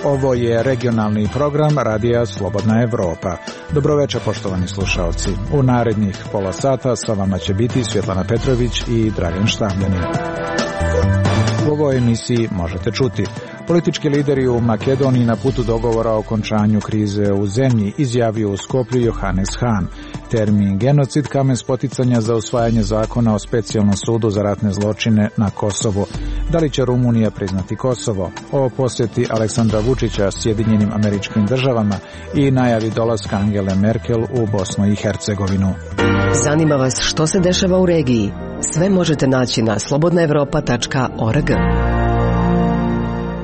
Ovo je regionalni program Radija Slobodna Evropa. Dobroveče, poštovani slušaoci. U narednih pola sata sa vama će biti Svjetlana Petrović i Dragan Štavljanin. U ovoj emisiji možete čuti: politički lideri u Makedoniji na putu dogovora o okončanju krize u zemlji, izjavio u Skoplju Johannes Hahn. Termin genocid kamen spoticanja za usvajanje zakona o specijalnom sudu za ratne zločine na Kosovu. Da li će Rumunija priznati Kosovo? O posjeti Aleksandra Vučića Sjedinjenim Američkim Državama i najavi dolaska Angele Merkel u Bosnu i Hercegovinu. Zanima vas što se dešava u regiji? Sve možete naći na slobodnaevropa.org.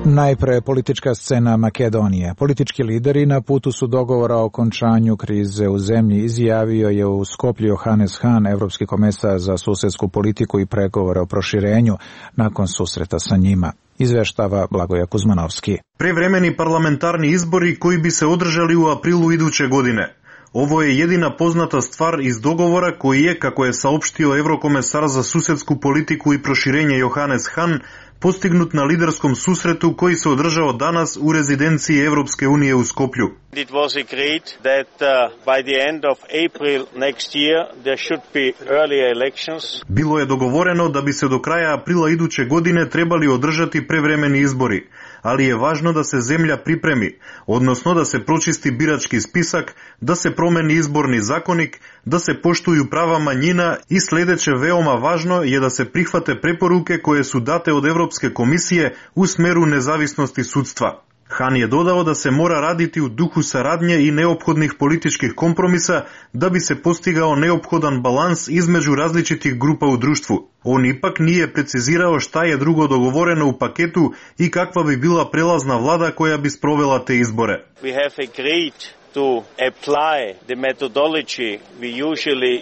Najpre politička scena Makedonije. Politički lideri na putu su dogovora o okončanju krize u zemlji, izjavio je u Skoplju Johannes Hahn, evropski komesar za susedsku politiku i pregovore o proširenju, nakon susreta sa njima. Izveštava Blagoje Kuzmanovski. Prevremeni parlamentarni izbori koji bi se održali u aprilu iduće godine. Ovo je jedina poznata stvar iz dogovora koji je, kako je saopštio Evrokomesar za susedsku politiku i proširenje Johannes Hahn, postignut na liderskom susretu koji se održao danas u rezidenciji Evropske unije u Skoplju. It was agreed that by the end of April next year there should be early elections. Bilo je dogovoreno da bi se do kraja aprila iduće godine trebali održati prevremeni izbori, ali je važno da se zemlja pripremi, odnosno da se pročisti birački spisak, da se promeni izborni zakonik, da se poštuju prava manjina i sljedeće veoma važno je da se prihvate preporuke koje su date od Evropske komisije u smeru nezavisnosti sudstva. Hahn je dodao da se mora raditi u duhu saradnje i neophodnih političkih kompromisa da bi se postigao neophodan balans između različitih grupa u društvu. On ipak nije precizirao šta je drugo dogovoreno u paketu i kakva bi bila prelazna vlada koja bi sprovela te izbore. We have agreed to apply the methodology we usually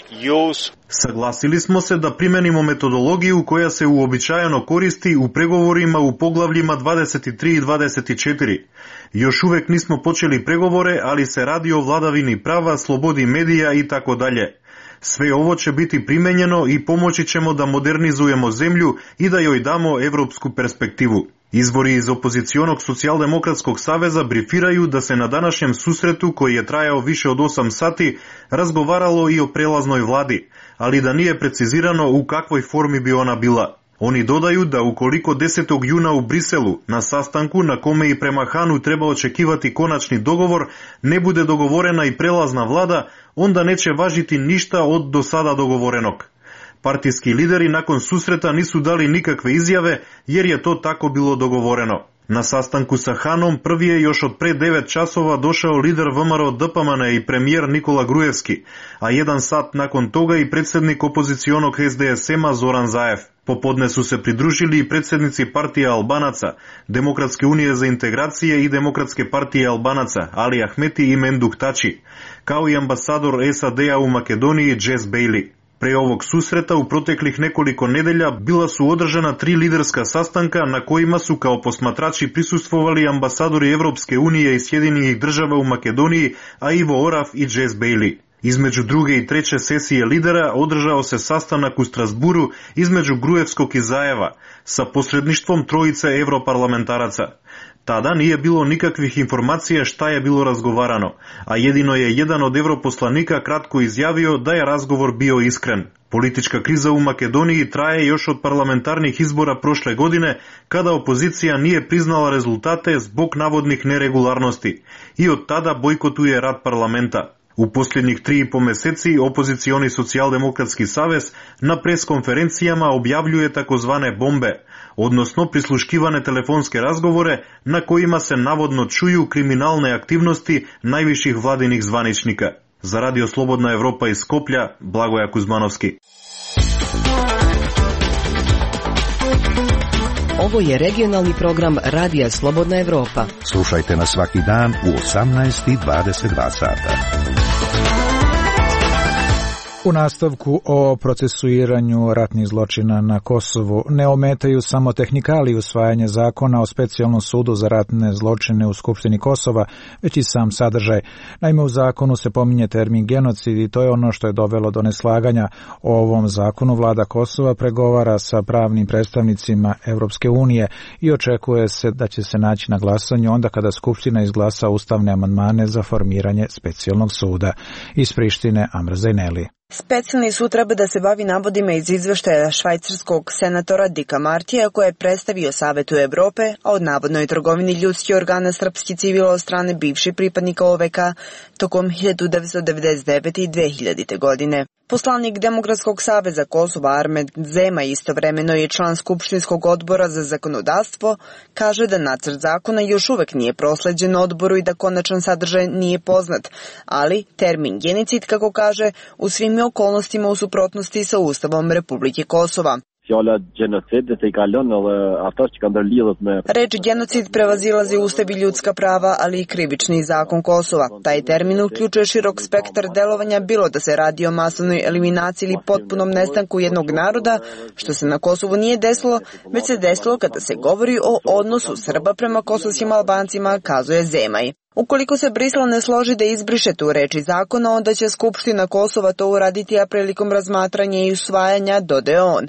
use. Saglasili smo se da primenimo metodologiju koja se uobičajeno koristi u pregovorima u poglavljima 23 i 24. Još uvek nismo počeli pregovore, ali se radi o vladavini prava, slobodi medija i tako dalje. Sve ovo će biti primenjeno i pomoći ćemo da modernizujemo zemlju i da joj damo evropsku perspektivu. Izvori iz opozicionog socijaldemokratskog saveza brifiraju da se na današnjem susretu, koji je trajao više od 8 sati, razgovaralo i o prelaznoj vladi, ali da nije precizirano u kakvoj formi bi ona bila. Oni dodaju da ukoliko 10. juna u Briselu, na sastanku na kome i prema Hahnu treba očekivati konačni dogovor, ne bude dogovorena i prelazna vlada, onda neće važiti ništa od do sada dogovorenog. Partijski lideri nakon susreta nisu dali nikakve izjave jer je to tako bilo dogovoreno. Na sastanku sa Hahnom prvi je još od pre 9 časova došao lider VMRO DPMN i premijer Nikola Gruevski, a 1 sat nakon toga i predsjednik opozicionog SDSM-a Zoran Zaev. Popodne su se pridružili i predsjednici partije Albanaca, Demokratske unije za integracije i Demokratske partije Albanaca, Ali Ahmeti i Menduk Tači, kao i ambasador SAD-a u Makedoniji Jess Bailey. Pre ovog susreta u proteklih nekoliko nedelja bila su održana 3 liderska sastanka na kojima su kao posmatrači prisustvovali ambasadori Evropske unije i Sjedinjenih Država u Makedoniji, a Ivo Oraf i Jess Bailey. Između druge i treće sesije lidera održao se sastanak u Strasburu između Gruevskog i Zajeva sa posredništvom trojice europarlamentaraca. Tada nije bilo nikakvih informacija šta je bilo razgovarano, a jedino je jedan od europoslanika kratko izjavio da je razgovor bio iskren. Politička kriza u Makedoniji traje još od parlamentarnih izbora prošle godine, kada opozicija nije priznala rezultate zbog navodnih neregularnosti i od tada bojkotuje rad parlamenta. U posljednjih 3,5 meseci opozicioni socijaldemokratski savez na preskonferencijama objavljuje takozvane bombe, odnosno prisluškivane telefonske razgovore na kojima se navodno čuju kriminalne aktivnosti najviših vladinih zvaničnika. Za Radio Slobodna Evropa iz Skoplja, Blagoje Kuzmanovski. Ovo je regionalni program Radija Slobodna Evropa. Slušajte nas svaki dan u 18:22 sata. U nastavku o procesuiranju ratnih zločina na Kosovu ne ometaju samo tehnikalije usvajanja zakona o specijalnom sudu za ratne zločine u Skupštini Kosova, već i sam sadržaj. Naime, u zakonu se pominje termin genocid i to je ono što je dovelo do neslaganja. O ovom zakonu vlada Kosova pregovara sa pravnim predstavnicima Evropske unije i očekuje se da će se naći na glasanju onda kada Skupština izglasa ustavne amandmane za formiranje specijalnog suda. Iz Prištine Amra Zajneli. Specijalni sud treba da se bavi navodima iz izveštaja švajcarskog senatora Dika Martija koje je predstavio Savetu Evrope, a od navodnoj trgovini ljudskih organa srpskih civila od strane bivših pripadnika OVK tokom 1999. i 2000. godine. Poslanik Demokratskog saveza Kosova Armed Zema, istovremeno je član Skupštinskog odbora za zakonodavstvo, kaže da nacrt zakona još uvek nije prosleđen odboru i da konačan sadržaj nije poznat, ali termin genocid, kako kaže, u svim okolnostima u suprotnosti sa Ustavom Republike Kosova. Reč genocid prevazilazi Ustav i ljudska prava, ali i krivični zakon Kosova. Taj termin uključuje širok spektar delovanja, bilo da se radi o masovnoj eliminaciji ili potpunom nestanku jednog naroda, što se na Kosovu nije desilo, već se desilo kada se govori o odnosu Srba prema kosovskim Albancima, kazuje Zemaj. Ukoliko se Brisel ne složi da izbriše tu reč iz zakona, onda će Skupština Kosova to uraditi, a prilikom razmatranja i usvajanja, dodaje on.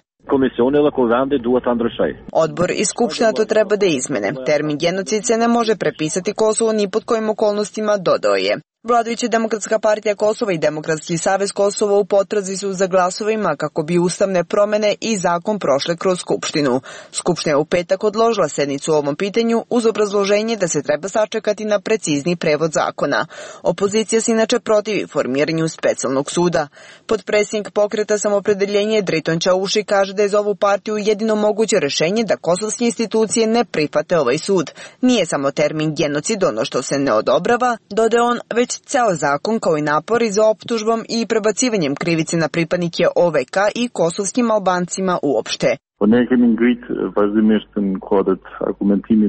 Odbor i Skupština to treba da izmene. Termin genocid se ne može prepisati Kosovo ni pod kojim okolnostima, dodao je. Vladajuća Demokratska partija Kosova i Demokratski savez Kosova u potrazi su za glasovima kako bi ustavne promene i zakon prošle kroz Skupštinu. Skupština je u petak odložila sednicu o ovom pitanju uz obrazloženje da se treba sačekati na precizni prevod zakona. Opozicija se inače protivi formiranju specijalnog suda. Potpredsjednik Pokreta Samopredeljenje Driton Čauši kaže da je za ovu partiju jedino moguće rešenje da kosovske institucije ne prihvate ovaj sud. Nije samo termin genocid ono što se ne odobrava, dodaje on, već ceo zakon kao i napori za optužbom i prebacivanjem krivice na pripadnike OVK i kosovskim Albancima uopšte.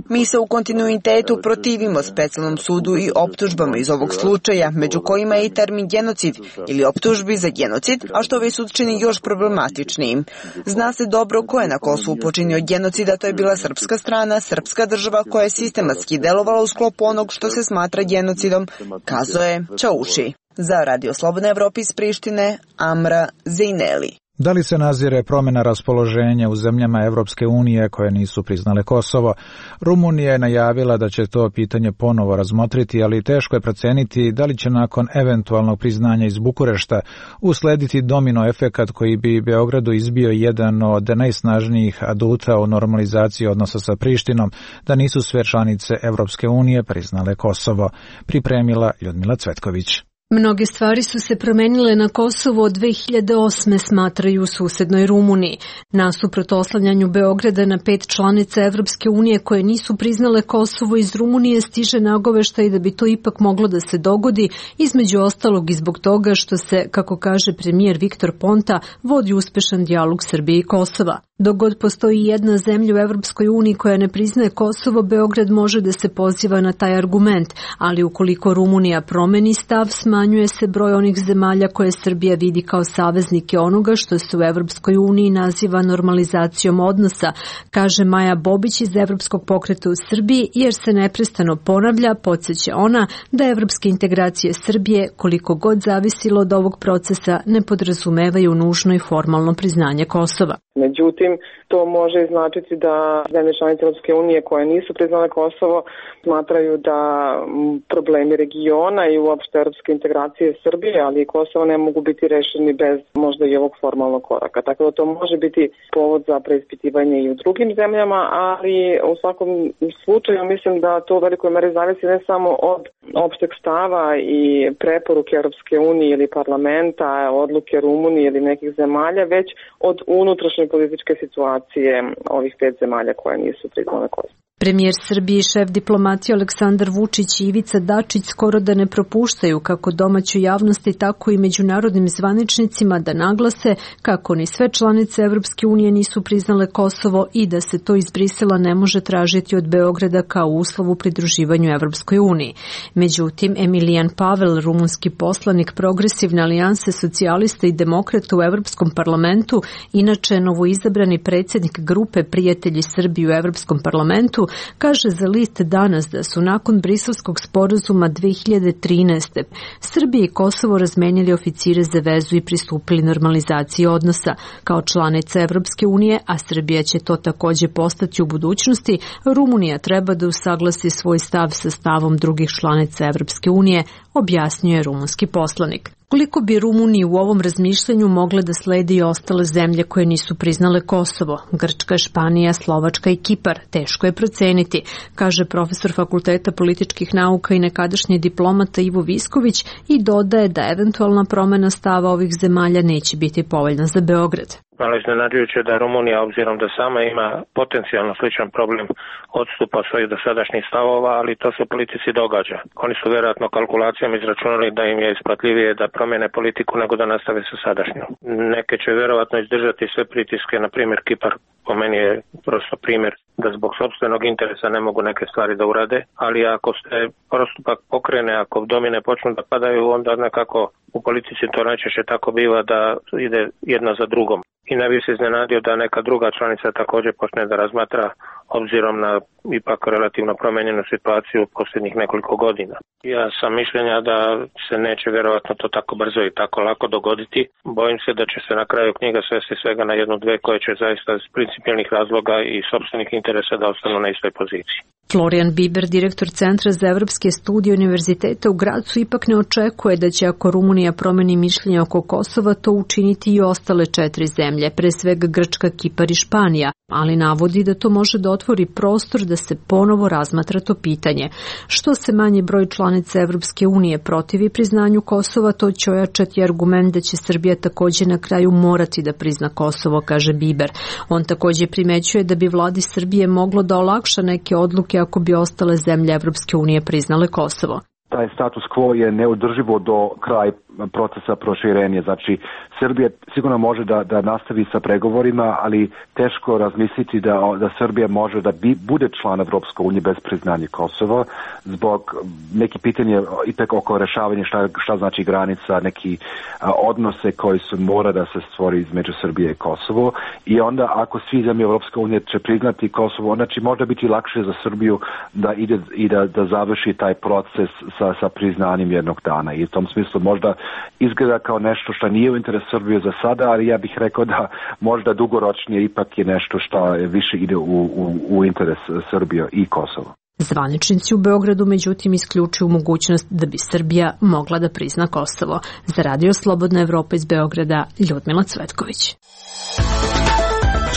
Mi se u kontinuitetu protivimo specijalnom sudu i optužbama iz ovog slučaja, među kojima je i termin genocid ili optužbi za genocid, a što ovaj sud čini još problematičnijim. Zna se dobro ko je na Kosovu počinio genocida, to je bila srpska strana, srpska država koja je sistematski delovala u sklopu onog što se smatra genocidom, kazuje Čauši. Za Radio Slobodna Evropa iz Prištine, Amra Zajneli. Da li se nazire promjena raspoloženja u zemljama Evropske unije koje nisu priznale Kosovo? Rumunija je najavila da će to pitanje ponovo razmotriti, ali teško je proceniti da li će nakon eventualnog priznanja iz Bukurešta uslediti domino efekat koji bi Beogradu izbio jedan od najsnažnijih aduta u normalizaciji odnosa sa Prištinom, da nisu sve članice Evropske unije priznale Kosovo. Pripremila Ljudmila Cvetković. Mnoge stvari su se promenile na Kosovu od 2008. smatraju u susednoj Rumuniji. Nasuprot oslanjanju Beograda na 5 članica Evropske unije koje nisu priznale Kosovo, iz Rumunije stiže nagoveštaj da bi to ipak moglo da se dogodi, između ostalog i zbog toga što se, kako kaže premijer Viktor Ponta, vodi uspešan dijalog Srbije i Kosova. Dok god postoji jedna zemlja u Evropskoj uniji koja ne priznaje Kosovo, Beograd može da se poziva na taj argument, ali ukoliko Rumunija promeni stav, smanjuje se broj onih zemalja koje Srbija vidi kao saveznike onoga što se u Evropskoj uniji naziva normalizacijom odnosa, kaže Maja Bobić iz Evropskog pokreta u Srbiji, jer se neprestano ponavlja, podsjeća ona, da evropske integracije Srbije, koliko god zavisilo od ovog procesa, ne podrazumevaju nužno i formalno priznanje Kosova. Međutim, to može značiti da zemlje članice Europske unije koje nisu priznale Kosovo smatraju da problemi regiona i uopšte europske integracije Srbije, ali i Kosova ne mogu biti rešeni bez možda i ovog formalnog koraka. Tako da to može biti povod za preispitivanje i u drugim zemljama, ali u svakom slučaju mislim da to u velikoj meri zavisi ne samo od opšteg stava i preporuke Europske unije ili parlamenta, odluke Rumunije ili nekih zemalja, već od unutrašnje političke situacije ovih 5 zemalja koje nisu priznale Kosovo. Premijer Srbije i šef diplomatije Aleksandar Vučić i Ivica Dačić skoro da ne propuštaju kako domaćoj javnosti, tako i međunarodnim zvaničnicima da naglase kako ni sve članice Evropske unije nisu priznale Kosovo i da se to iz Brisela ne može tražiti od Beograda kao uslov u pridruživanju Evropskoj uniji. Međutim, Emilijan Pavel, rumunski poslanik Progresivne alijanse socijalista i demokrata u Evropskom parlamentu, inače novoizabrani predsjednik grupe Prijatelji Srbije u Evropskom parlamentu, kaže za list Danas da su nakon Briselskog sporazuma 2013. Srbije i Kosovo razmenjali oficire za vezu i pristupili normalizaciji odnosa. Kao članica Evropske unije, a Srbija će to također postati u budućnosti, Rumunija treba da usaglasi svoj stav sa stavom drugih članica Evropske unije, objasnio je rumunski poslanik. Koliko bi Rumuniji u ovom razmišljanju mogle da slede i ostale zemlje koje nisu priznale Kosovo, Grčka, Španija, Slovačka i Kipar, teško je proceniti, kaže profesor Fakulteta političkih nauka i nekadašnji diplomata Ivo Visković i dodaje da eventualna promena stava ovih zemalja neće biti povoljna za Beograd. Malo iznenađujuće da Rumunija, obzirom da sama ima potencijalno sličan problem, odstupa svojih dosadašnjih stavova, ali to se politici događa. Oni su vjerojatno kalkulacijama izračunali da im je isplatljivije da promjene politiku nego da nastave sa sadašnjom. Neke će vjerojatno izdržati sve pritiske, na primjer Kipar, po meni je prosto primjer da zbog sopstvenog interesa ne mogu neke stvari da urade, ali ako se postupak pokrene, ako domine počnu da padaju, onda nekako u politici to najčešće tako biva da ide jedna za drugom. I ne bi se iznenadio da neka druga članica također počne da razmatra obzirom na ipak relativno promijenjenu situaciju u posljednjih nekoliko godina. Ja sam mišljenja da se neće vjerojatno to tako brzo i tako lako dogoditi. Bojim se da će se na kraju knjiga svesti svega na jednu, dve koje će zaista iz principijelnih razloga i sopstvenih interesa da ostanu na istoj poziciji. Florian Biber, direktor Centra za evropske studije Univerziteta u Gracu, ipak ne očekuje da će ako Rumunija promeni mišljenje oko Kosova to učiniti i ostale 4 zemlje, pre svega Grčka, Kipar i Španija, ali navodi da to može da otvori prostor da se ponovo razmatra to pitanje. Što se manji broj članica Evropske unije protivi priznanju Kosova, to će ojačati argument da će Srbija također na kraju morati da prizna Kosovo, kaže Biber. On također primećuje da bi vladi Srbije moglo da olakša neke odluke ako bi ostale zemlje Evropske unije priznale Kosovo. Taj status quo je neodrživo do kraja procesa proširenja. Znači, Srbija sigurno može da nastavi sa pregovorima, ali teško razmisliti da Srbija može da bude član Evropske unije bez priznanja Kosova, zbog neki pitanje ipak oko rešavanja šta znači granica, neki odnose koji su mora da se stvori između Srbije i Kosovo. I onda ako svi zemlje Evropske unije će priznati Kosovo, znači možda biti lakše za Srbiju da ide i da završi taj proces sa priznanjem jednog dana. I u tom smislu možda izgleda kao nešto što nije u interesu Srbije za sada, ali ja bih rekao da možda dugoročnije ipak je nešto što više ide u interes Srbije i Kosova. Zvaničnici u Beogradu međutim isključuju mogućnost da bi Srbija mogla da prizna Kosovo. Za Radio Slobodna Evropa iz Beograda, Ljudmila Cvetković.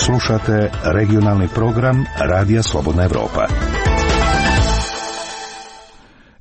Slušate regionalni program Radija Slobodna Evropa.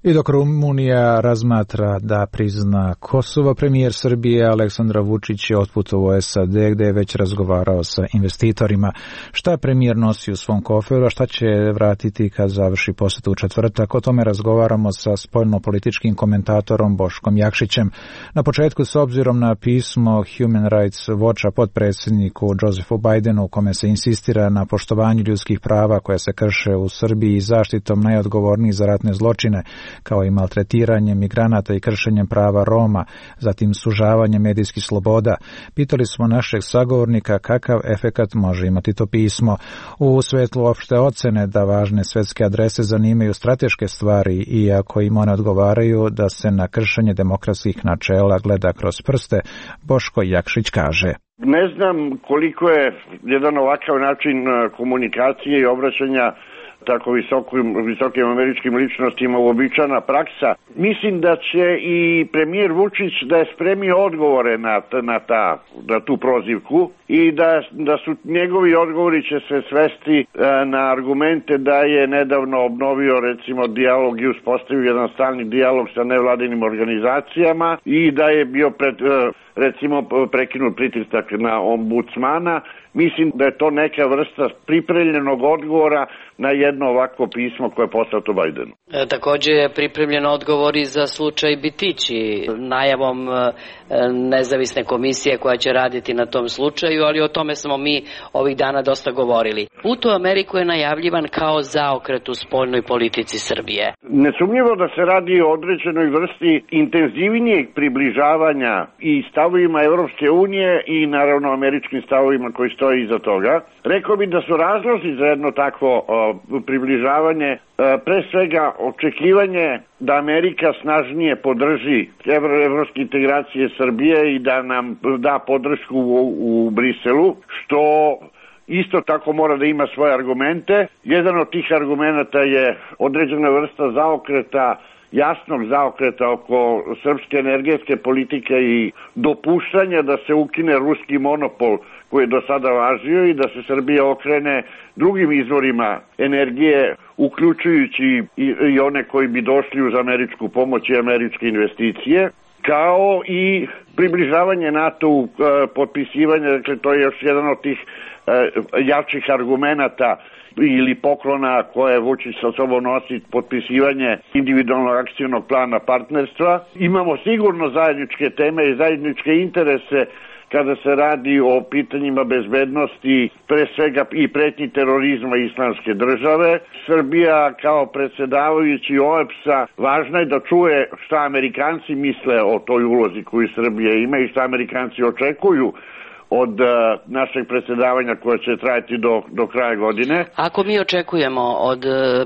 I dok Rumunija razmatra da prizna Kosovo, premijer Srbije Aleksandar Vučić je otputovao u SAD gdje je već razgovarao sa investitorima. Šta premijer nosi u svom koferu, a šta će vratiti kad završi posjetu u četvrtak? O tome razgovaramo sa spoljnopolitičkim komentatorom Boškom Jakšićem. Na početku, s obzirom na pismo Human Rights Watcha potpredsjedniku Josephu Bidenu, u kome se insistira na poštovanju ljudskih prava koja se krše u Srbiji i zaštitom najodgovornijih za ratne zločine, kao i maltretiranje migranata i kršenjem prava Roma, zatim sužavanje medijskih sloboda. Pitali smo našeg sagovornika kakav efekat može imati to pismo. U svetlu opšte ocene da važne svetske adrese zanimaju strateške stvari i ako im one odgovaraju da se na kršenje demokratskih načela gleda kroz prste, Boško Jakšić kaže. Ne znam koliko je jedan ovakav način komunikacije i obraćanja tako visokim američkim ličnostima uobičajena praksa. Mislim da će i premijer Vučić da je spremio odgovore na tu prozivku i da su njegovi odgovori će se svesti na argumente da je nedavno obnovio recimo dijalog i uspostavio jedan stalni dijalog sa nevladinim organizacijama i da je bio recimo prekinut pritisak na ombudsmana. mislim da je to neka vrsta pripremljenog odgovora na jedno ovako pismo koje je poslato Bajdenu. Također je pripremljen odgovor i za slučaj Bitići, najavom nezavisne komisije koja će raditi na tom slučaju, ali o tome smo mi ovih dana dosta govorili. Put u Ameriku je najavljivan kao zaokret u spoljnoj politici Srbije. Nesumnjivo da se radi o određenoj vrsti intenzivnijeg približavanja i stavovima Evropske unije i naravno američkim stavovima koji stoje iza toga. Rekao bih da su razlozi za jedno takvo približavanje pre svega očekivanje da Amerika snažnije podrži evropske integracije Srbije i da nam da podršku u Briselu, što isto tako mora da ima svoje argumente. Jedan od tih argumenta je određena vrsta zaokreta, jasnog zaokreta oko srpske energetske politike i dopuštanja da se ukine ruski monopol koji je do sada važio i da se Srbija okrene drugim izvorima energije, uključujući i one koji bi došli uz američku pomoć i američke investicije, kao i približavanje NATO-u, potpisivanje, dakle to je još jedan od tih jačih argumenata ili poklona koje Vučić sa sobom nosi, potpisivanje individualnog akcionog plana partnerstva. Imamo sigurno zajedničke teme i zajedničke interese kada se radi o pitanjima bezbednosti, pre svega i pretnji terorizma Islamske države. Srbija kao predsedavajući OEBS-a važno je da čuje šta Amerikanci misle o toj ulozi koju Srbija ima i šta Amerikanci očekuju od našeg predsjedavanja koje će trajati do kraja godine. Ako mi očekujemo od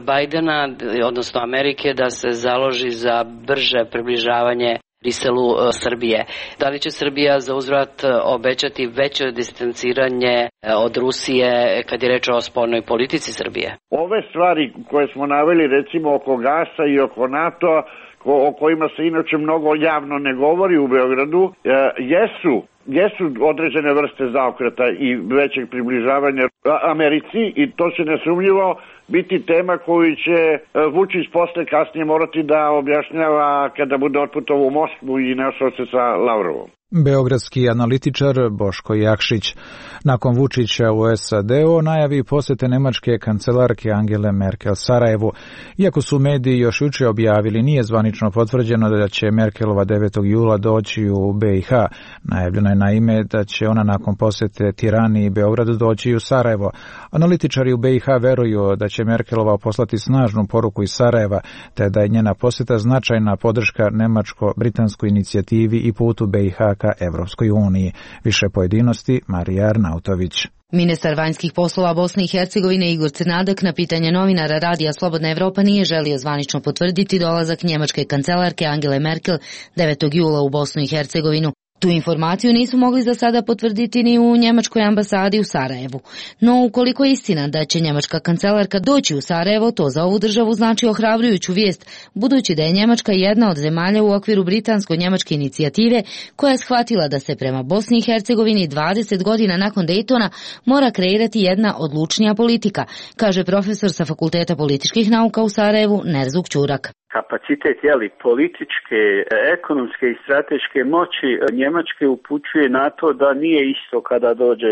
Bajdena, odnosno Amerike, da se založi za brže približavanje Briselu Srbije, da li će Srbija za uzvrat obećati veće distanciranje od Rusije kad je reč o spoljnoj politici Srbije? Ove stvari koje smo naveli, recimo oko gasa i oko NATO-a, o kojima se inače mnogo javno ne govori u Beogradu, jesu određene vrste zaokreta i većeg približavanja Americi i to će nesumnjivo biti tema koju će Vučić posle kasnije morati da objašnjava kada bude otputovao u Moskvu i našao se sa Lavrovom. Beogradski analitičar Boško Jakšić. Nakon Vučića u SAD-u najavi posete nemačke kancelarke Angele Merkel Sarajevu. Iako su mediji još juče objavili, nije zvanično potvrđeno da će Merkelova 9. jula doći u BiH. Najavljeno je naime da će ona nakon posete Tirani i Beogradu doći u Sarajevo. Analitičari u BiH veruju da će Merkelova poslati snažnu poruku iz Sarajeva, te da je njena poseta značajna podrška nemačko-britanskoj inicijativi i putu BiH ka Evropskoj uniji. Više pojedinosti Marija Arnautović. Ministar vanjskih poslova Bosne i Hercegovine Igor Crnadak na pitanje novinara Radija Slobodna Evropa nije želio zvanično potvrditi dolazak njemačke kancelarke Angele Merkel 9. jula u Bosnu i Hercegovinu. Tu informaciju nisu mogli za sada potvrditi ni u njemačkoj ambasadi u Sarajevu. No, ukoliko je istina da će njemačka kancelarka doći u Sarajevo, to za ovu državu znači ohrabrujuću vijest, budući da je Njemačka jedna od zemalja u okviru britansko-njemačke inicijative koja je shvatila da se prema Bosni i Hercegovini 20 godina nakon Daytona mora kreirati jedna odlučnija politika, kaže profesor sa Fakulteta političkih nauka u Sarajevu Nerzuk Ćurak. Kapacitet političke, ekonomske i strateške moći Njemačke upućuje na to da nije isto kada dođe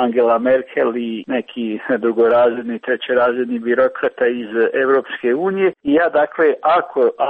Angela Merkel i neki drugorazredni, trećerazredni birokrata iz Evropske unije. I ja dakle,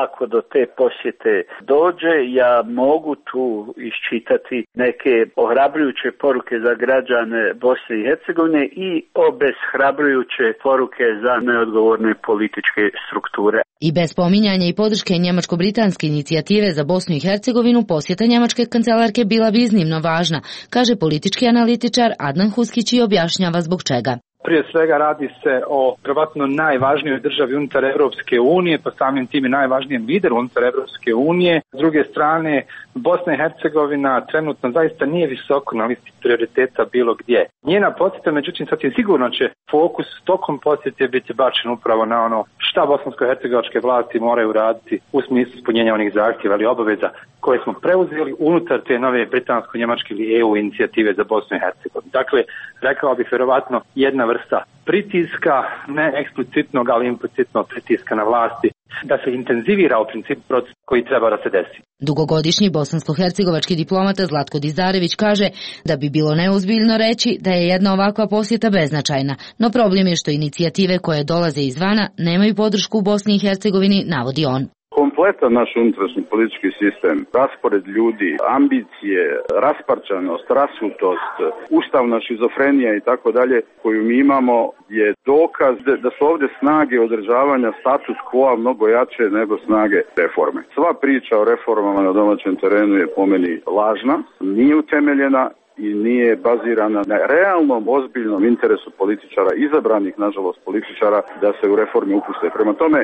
ako do te posjete dođe, ja mogu tu iščitati neke ohrabrujuće poruke za građane Bosne i Hercegovine i obeshrabrujuće poruke za neodgovorne političke strukture. I bez pominjanja i podrške njemačko-britanske inicijative za Bosnu i Hercegovinu, posjeta njemačke kancelarke bila bi iznimno važna, kaže politički analitičar Adnan Huskić i objašnjava zbog čega. Prije svega radi se o vjerovatno najvažnijoj državi unutar Evropske unije, pa samim tim i najvažnijem lideru unutar Evropske unije. S druge strane, Bosna i Hercegovina trenutno zaista nije visoko na listi prioriteta bilo gdje. Njena posjeta, međutim, sasvim sigurno će fokus tokom posjete biti bačen upravo na ono šta bosansko-hercegovačke vlasti moraju raditi u smislu ispunjenja onih zahtjeva ili obaveza koje smo preuzeli unutar te nove britansko-njemačke ili EU inicijative za Bosnu i Hercegovinu. Dakle, rekao bih vjerovatno jedna vrsta pritiska, ne eksplicitnog, ali implicitnog pritiska na vlasti da se intenzivira u principu proces koji treba da se desi. Dugogodišnji bosansko-hercegovački diplomata Zlatko Dizarević kaže da bi bilo neozbiljno reći da je jedna ovakva posjeta beznačajna, no problem je što inicijative koje dolaze izvana nemaju podršku u Bosni i Hercegovini, navodi on. Kompletan naš unutrašnji politički sistem, raspored ljudi, ambicije, rasparčanost, rasutost, ustavna šizofrenija i tako dalje koju mi imamo je dokaz da su ovdje snage održavanja status quo mnogo jače nego snage reforme. Sva priča o reformama na domaćem terenu je po meni lažna, nije utemeljena i nije bazirana na realnom, ozbiljnom interesu političara, izabranih, nažalost, političara, da se u reforme upuste. Prema tome,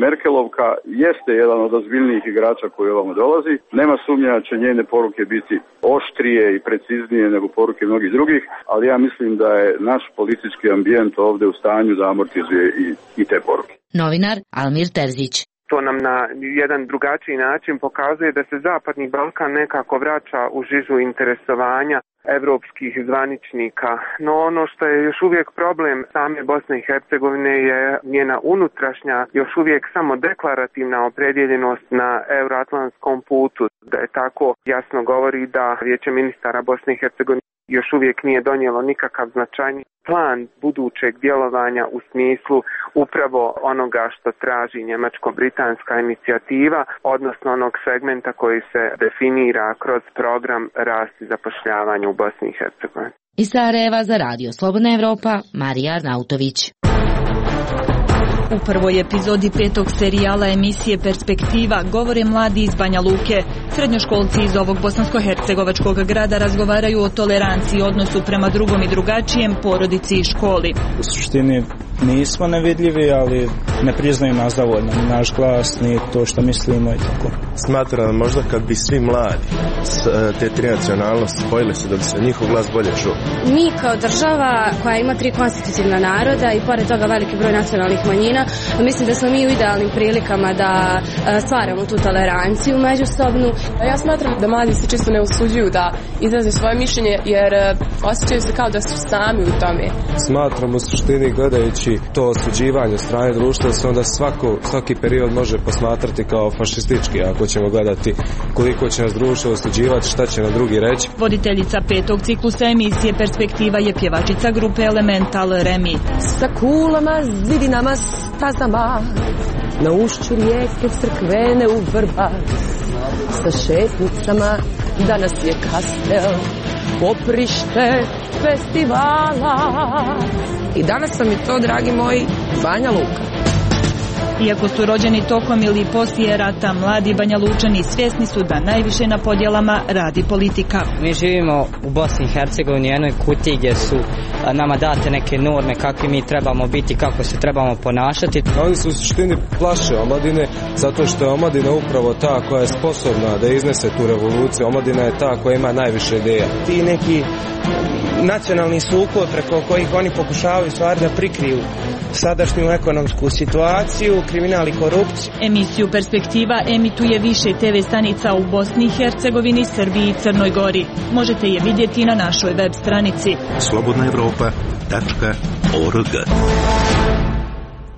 Merkelovka jeste jedan od ozbiljnijih igrača koji ovamo dolazi. Nema sumnja da će njene poruke biti oštrije i preciznije nego poruke mnogih drugih, ali ja mislim da je naš politički ambijent ovdje u stanju da amortizuje i te poruke. Novinar Almir Terzić. To nam na jedan drugačiji način pokazuje da se Zapadni Balkan nekako vraća u žižu interesovanja evropskih zvaničnika. No ono što je još uvijek problem same Bosne i Hercegovine je njena unutrašnja, još uvijek samo deklarativna opredjeljenost na euroatlantskom putu. Da je tako jasno govori da Vijeće ministara Bosne i Hercegovine još uvijek nije donijelo nikakav značajni plan budućeg djelovanja u smislu upravo onoga što traži njemačko-britanska inicijativa, odnosno onog segmenta koji se definira kroz program rast i zapošljavanja u Bosni i Hercegovini. Iz Sarajeva za Radio Slobodna Evropa, Marija Arnautović. U prvoj epizodi 5. serijala emisije Perspektiva govore mladi iz Banja Luke. Srednjoškolci iz ovog bosansko-hercegovačkog grada razgovaraju o toleranciji, odnosu prema drugom i drugačijem, porodici i školi. U suštini nismo nevidljivi, ali ne priznaju nas dovoljno, ni naš glas, ni to što mislimo i tako. Smatram možda kad bi svi mladi te tri nacionalnosti spojili se da bi se njihov glas bolje čuo. Mi kao država koja ima 3 konstitutivna naroda i pored toga veliki broj nacionalnih manjina, mislim da smo mi u idealnim prilikama da stvaramo tu toleranciju međusobnu. Ja smatram da mladi se često ne usuđuju da izraze svoje mišljenje jer osjećaju se kao da su sami u tome. Smatram u suštini gledajući to osuđivanje strane društva da se onda svaki period može posmatrati kao fašistički, ako ćemo gledati koliko će nas društvo osuđivati, šta će na drugi reći. Voditeljica 5. ciklusa emisije Perspektiva je pjevačica grupe Elemental Remi. Sa kulama, zidinama, stazama, na ušću rijeke crkvene u Vrbas, sa šetnicama, danas je kastel, poprište festivala. I danas vam je to, dragi moji, Banja Luka. Iako su rođeni tokom ili poslije rata, mladi Banja Lučani svjesni su da najviše na podjelama radi politika. Mi živimo u Bosni i Hercegovini, jednoj kutiji gdje su nama date neke norme kakvi mi trebamo biti, kako se trebamo ponašati. Oni su u suštini plaše omladine, zato što je omladina upravo ta koja je sposobna da iznese tu revoluciju. Omladina je ta koja ima najviše ideja. Ti neki nacionalni sukob preko kojih oni pokušavaju stvari da prikriju sadašnju ekonomsku situaciju, kriminal i korupciju. Emisiju Perspektiva emituje više TV stanica u Bosni i Hercegovini, Srbiji i Crnoj Gori. Možete je vidjeti na našoj web stranici slobodnaevropa.org.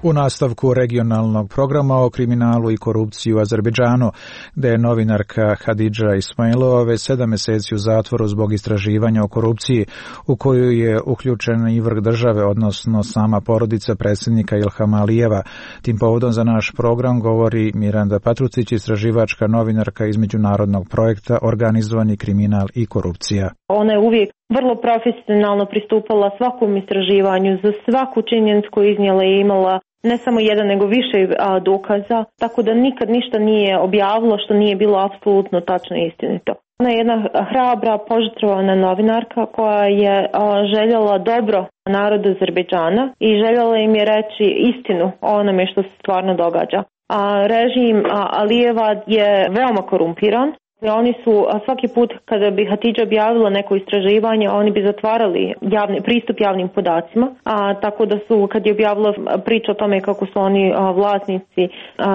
U nastavku regionalnog programa o kriminalu i korupciji u Azerbejdžanu, gde je novinarka Hadidža Ismailova već 7 mjeseci u zatvoru zbog istraživanja o korupciji u koju je uključen i vrh države, odnosno sama porodica predsjednika Ilhama Alijeva. Tim povodom za naš program govori Miranda Patrucić, istraživačka novinarka iz međunarodnog projekta Organizovani kriminal i korupcija. Ona je uvijek vrlo profesionalno pristupala svakom istraživanju, za svaku činjenicu koju iznijela je imala ne samo jedan nego više dokaza, tako da nikad ništa nije objavilo što nije bilo apsolutno tačno i istinito. Ona je jedna hrabra, požrtvovana novinarka koja je željela dobro narodu Azerbejdžana i željela im je reći istinu o onome što se stvarno događa. Režim Alijeva je veoma korumpiran. Oni su svaki put kada bi Hatidža objavila neko istraživanje, oni bi zatvarali pristup javnim podacima, tako da su kad je objavila priču o tome kako su oni vlasnici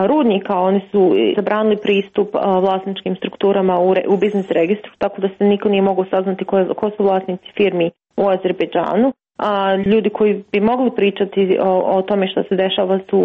rudnika, oni su zabranili pristup vlasničkim strukturama u biznis registru, tako da se niko nije mogao saznati ko su vlasnici firmi u Azerbejdžanu. Ljudi koji bi mogli pričati o tome što se dešava su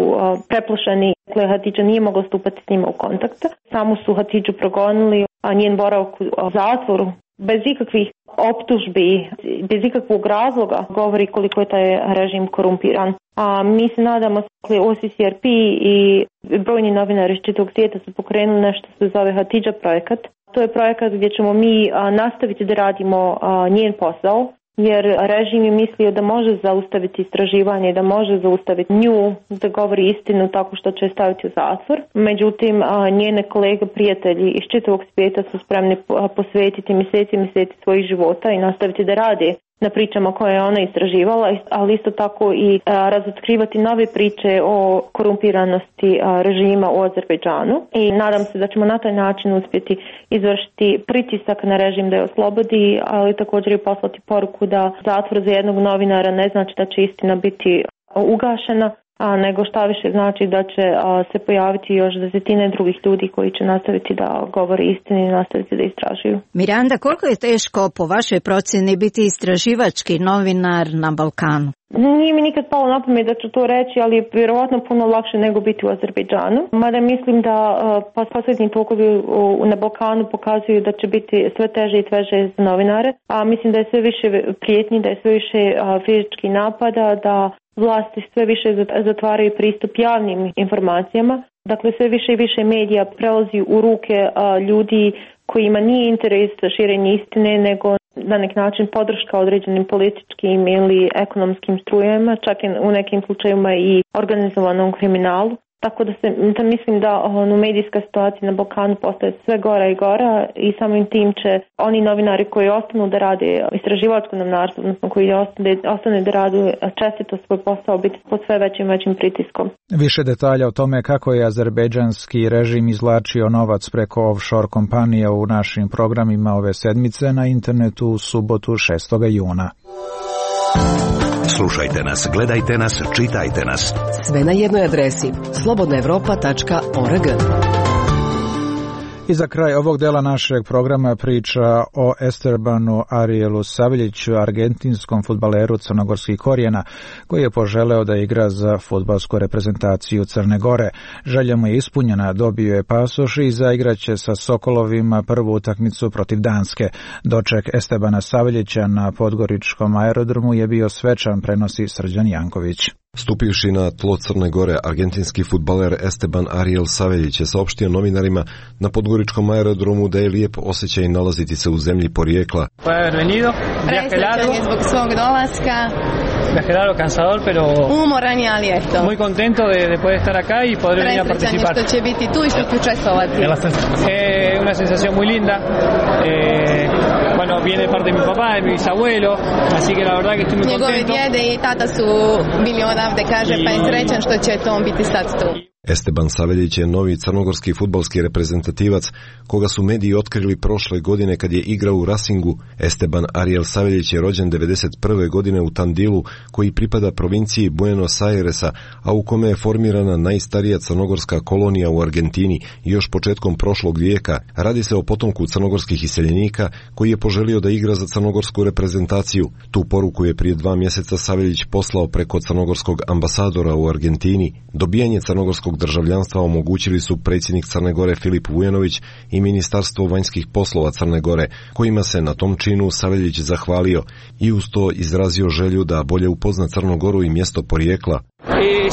preplašeni. Hatidža nije mogla stupati s njima u kontakt. Samo su Hatidžu progonili, a njen boravak u zatvoru bez ikakvih optužbi, bez ikakvog razloga govori koliko je taj režim korumpiran. A mi se nadamo, OCCRP i brojni novinari iz čitavog svijeta su pokrenuli nešto što se zove Hatidža projekat. To je projekat gdje ćemo mi nastaviti da radimo njen posao, jer režim je mislio da može zaustaviti istraživanje, da može zaustaviti nju da govori istinu tako što će staviti u zatvor. Međutim, njene kolege, prijatelji iz čitavog svijeta su spremni posvetiti mjeseci svojih života i nastaviti da rade na pričama koje je ona istraživala, ali isto tako i razotkrivati nove priče o korumpiranosti režima u Azerbejdžanu. I nadam se da ćemo na taj način uspjeti izvršiti pritisak na režim da je oslobodi, ali također i poslati poruku da zatvor za jednog novinara ne znači da će istina biti ugašena, nego šta više znači da će se pojaviti još desetine drugih ljudi koji će nastaviti da govore istinu i nastaviti da istražuju. Miranda, koliko je teško po vašoj procjeni biti istraživački novinar na Balkanu? Nije mi nikad palo na pamet da ću to reći, ali je vjerovatno puno lakše nego biti u Azerbejdžanu. Mada mislim da posljednji tokovi na Balkanu pokazuju da će biti sve teže i teže za novinare. A mislim da je sve više prijetnji, da je sve više fizičkih napada, da vlasti sve više zatvaraju pristup javnim informacijama. Dakle, sve više i više medija prelazi u ruke ljudi kojima nije interes širenje istine, nego na neki način podrška određenim političkim ili ekonomskim strujama, čak i u nekim slučajevima i organizovanom kriminalu. Tako da mislim da medijska situacija na Balkanu postaje sve gora i gora i samim tim će oni novinari koji ostanu da rade istraživačko novinarstvo, odnosno koji ostane da rade čestito svoj posao, biti pod sve većim pritiskom. Više detalja o tome kako je azerbejdžanski režim izvlačio novac preko offshore kompanija u našim programima ove sedmice na internetu u subotu 6. juna. Slušajte nas, gledajte nas, čitajte nas. Sve na jednoj adresi slobodnaevropa.org. I za kraj ovog dela našeg programa priča o Estebanu Arielu Saveljiću, argentinskom fudbaleru crnogorskih korijena, koji je poželeo da igra za fudbalsku reprezentaciju Crne Gore. Želja mu je ispunjena, dobio je pasoš i zaigraće sa Sokolovima prvu utakmicu protiv Danske. Doček Estebana Saveljića na podgoričkom aerodromu je bio svečan, prenosi Srđan Janković. Stupivši na tlo Crne Gore, argentinski fudbaler Esteban Ariel Saveljić je saopštio novinarima na podgoričkom aerodromu da je lijep osjećaj nalaziti se u zemlji porijekla. Presrećan je zbog svog dolaska. Viaje largo, cansador, pero umoran je, ali eto. Muy contento de poder estar acá y poder venir a participar. Presrećan je što će biti tu i što će učestvovati. Una sensación muy linda. Bueno, viene parte de mi papá, de mi bisabuelo, así que la verdad que estoy muy contento. Njegovi djede i tata su bili odavde, kaže, pa je srećan što će to on biti sad tu. Esteban Saveljić je novi crnogorski fudbalski reprezentativac koga su mediji otkrili prošle godine kad je igrao u Racingu. Esteban Ariel Saveljić je rođen 1991. godine u Tandilu, koji pripada provinciji Buenos Airesa, a u kome je formirana najstarija crnogorska kolonija u Argentini još početkom prošlog vijeka. Radi se o potomku crnogorskih iseljenika koji je poželio da igra za crnogorsku reprezentaciju. Tu poruku je prije 2 mjeseca Saveljić poslao preko crnogorskog ambasadora u Argentini. Dobijanje crnogorskog državljanstva omogućili su predsjednik Crne Gore Filip Vujanović i Ministarstvo vanjskih poslova Crne Gore, kojima se na tom činu Saveljić zahvalio i uz to izrazio želju da bolje upozna Crnu Goru i mjesto porijekla.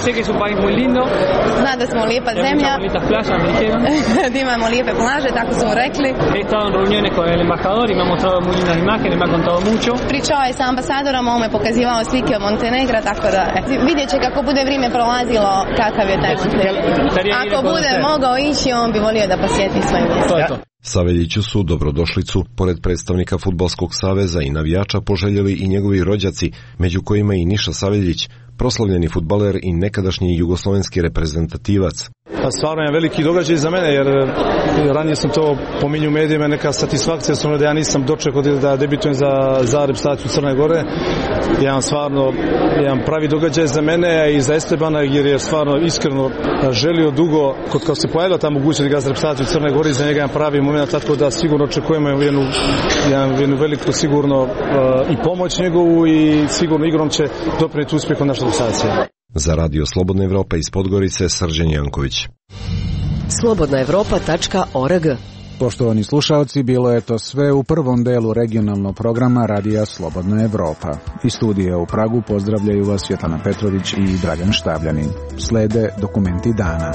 Sé que es un país muy lindo. Zna da smo lijepa zemlja. Da imamo lijepe plaže, tako su rekli. He estado en reuniones con el embajador y me ha mostrado muy lindas imágenes, me ha contado mucho. Pričao je sa ambasadorom, on me pokazivao slike od Montenegra, tako da vidjet će kako bude vrijeme prolazilo kakav je taj Montenegro. Ako bude mogao ići, on bi volio da posjeti svoje mjesto. Saveljiću su dobrodošlicu, pored predstavnika Fudbalskog saveza i navijača, poželjeli i njegovi rođaci, među kojima i Niša Saveljić, proslavljeni fudbaler i nekadašnji jugoslovenski reprezentativac. Stvarno je veliki događaj za mene, jer ranije sam to pominjao u medijima, neka satisfakcija da ja nisam dočekao da debitujem za reprezentaciju Crne Gore. Jedan pravi događaj za mene i za Estebana, jer je stvarno iskreno želio dugo, kad se pojavila ta mogućnost da igra za reprezentaciju Crne Gore, za njega jedan pravi moment, tako da sigurno očekujemo jednu veliku sigurno i pomoć njegovu i sigurno igrom će doprinijeti uspjehom naše reprezentacije. Za Radio Slobodna Evropa iz Podgorice, Srđan Janković. slobodnaevropa.org. Poštovani slušalci, bilo je to sve u prvom delu regionalnog programa Radija Slobodna Evropa. Iz studija u Pragu pozdravljaju vas Svetlana Petrović i Dragan Štavljanin. Slede dokumenti dana.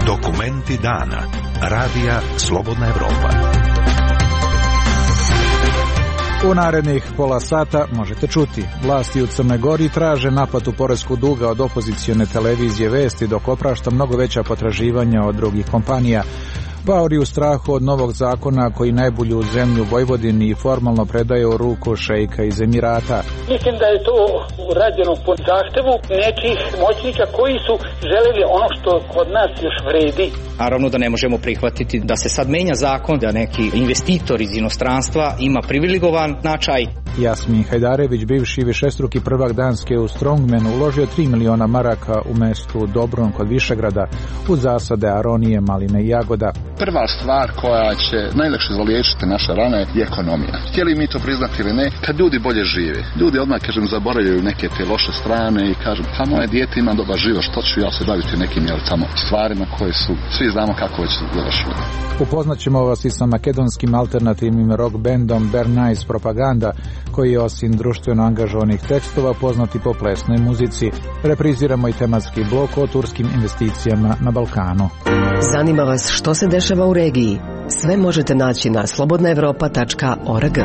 Dokumenti dana. Radija Slobodna Evropa. U narednih pola sata možete čuti. Vlasti u Crnoj Gori traže naplatu poreskog duga od opozicione televizije Vesti, dok oprašta mnogo veća potraživanja od drugih kompanija. Paori u strahu od novog zakona koji najbolju zemlju Vojvodini i formalno predaje u ruku šejka iz Emirata. Mislim da je to urađeno po zahtevu nekih moćnika koji su želeli ono što kod nas još vredi. Naravno da ne možemo prihvatiti da se sad menja zakon, da neki investitor iz inostranstva ima privilegovan značaj. Jasmin Hajdarević, bivši višestruki prvak Danske u Strongmanu, uložio 3 miliona maraka u mestu Dobron kod Višegrada u zasade aronije, maline i jagoda. Prva stvar koja će najlakše zaliječiti naše rane je ekonomija. Htjeli mi to priznati ili ne, kad ljudi bolje žive, ljudi odmah, zaboravljaju neke te loše strane i kažu, pa moje dijete ima dobar život, što ću ja se baviti nekim tamo stvarima koje su, svi znamo kako već završili. Upoznaćemo vas i sa makedonskim alternativnim rock bandom Bernays Propaganda, koji je osim društveno angažovanih tekstova poznati po plesnoj muzici. Repriziramo i tematski blok o turskim investicijama na Balkanu. Zanima vas što se dešava u regiji? Sve možete naći na slobodnaevropa.org.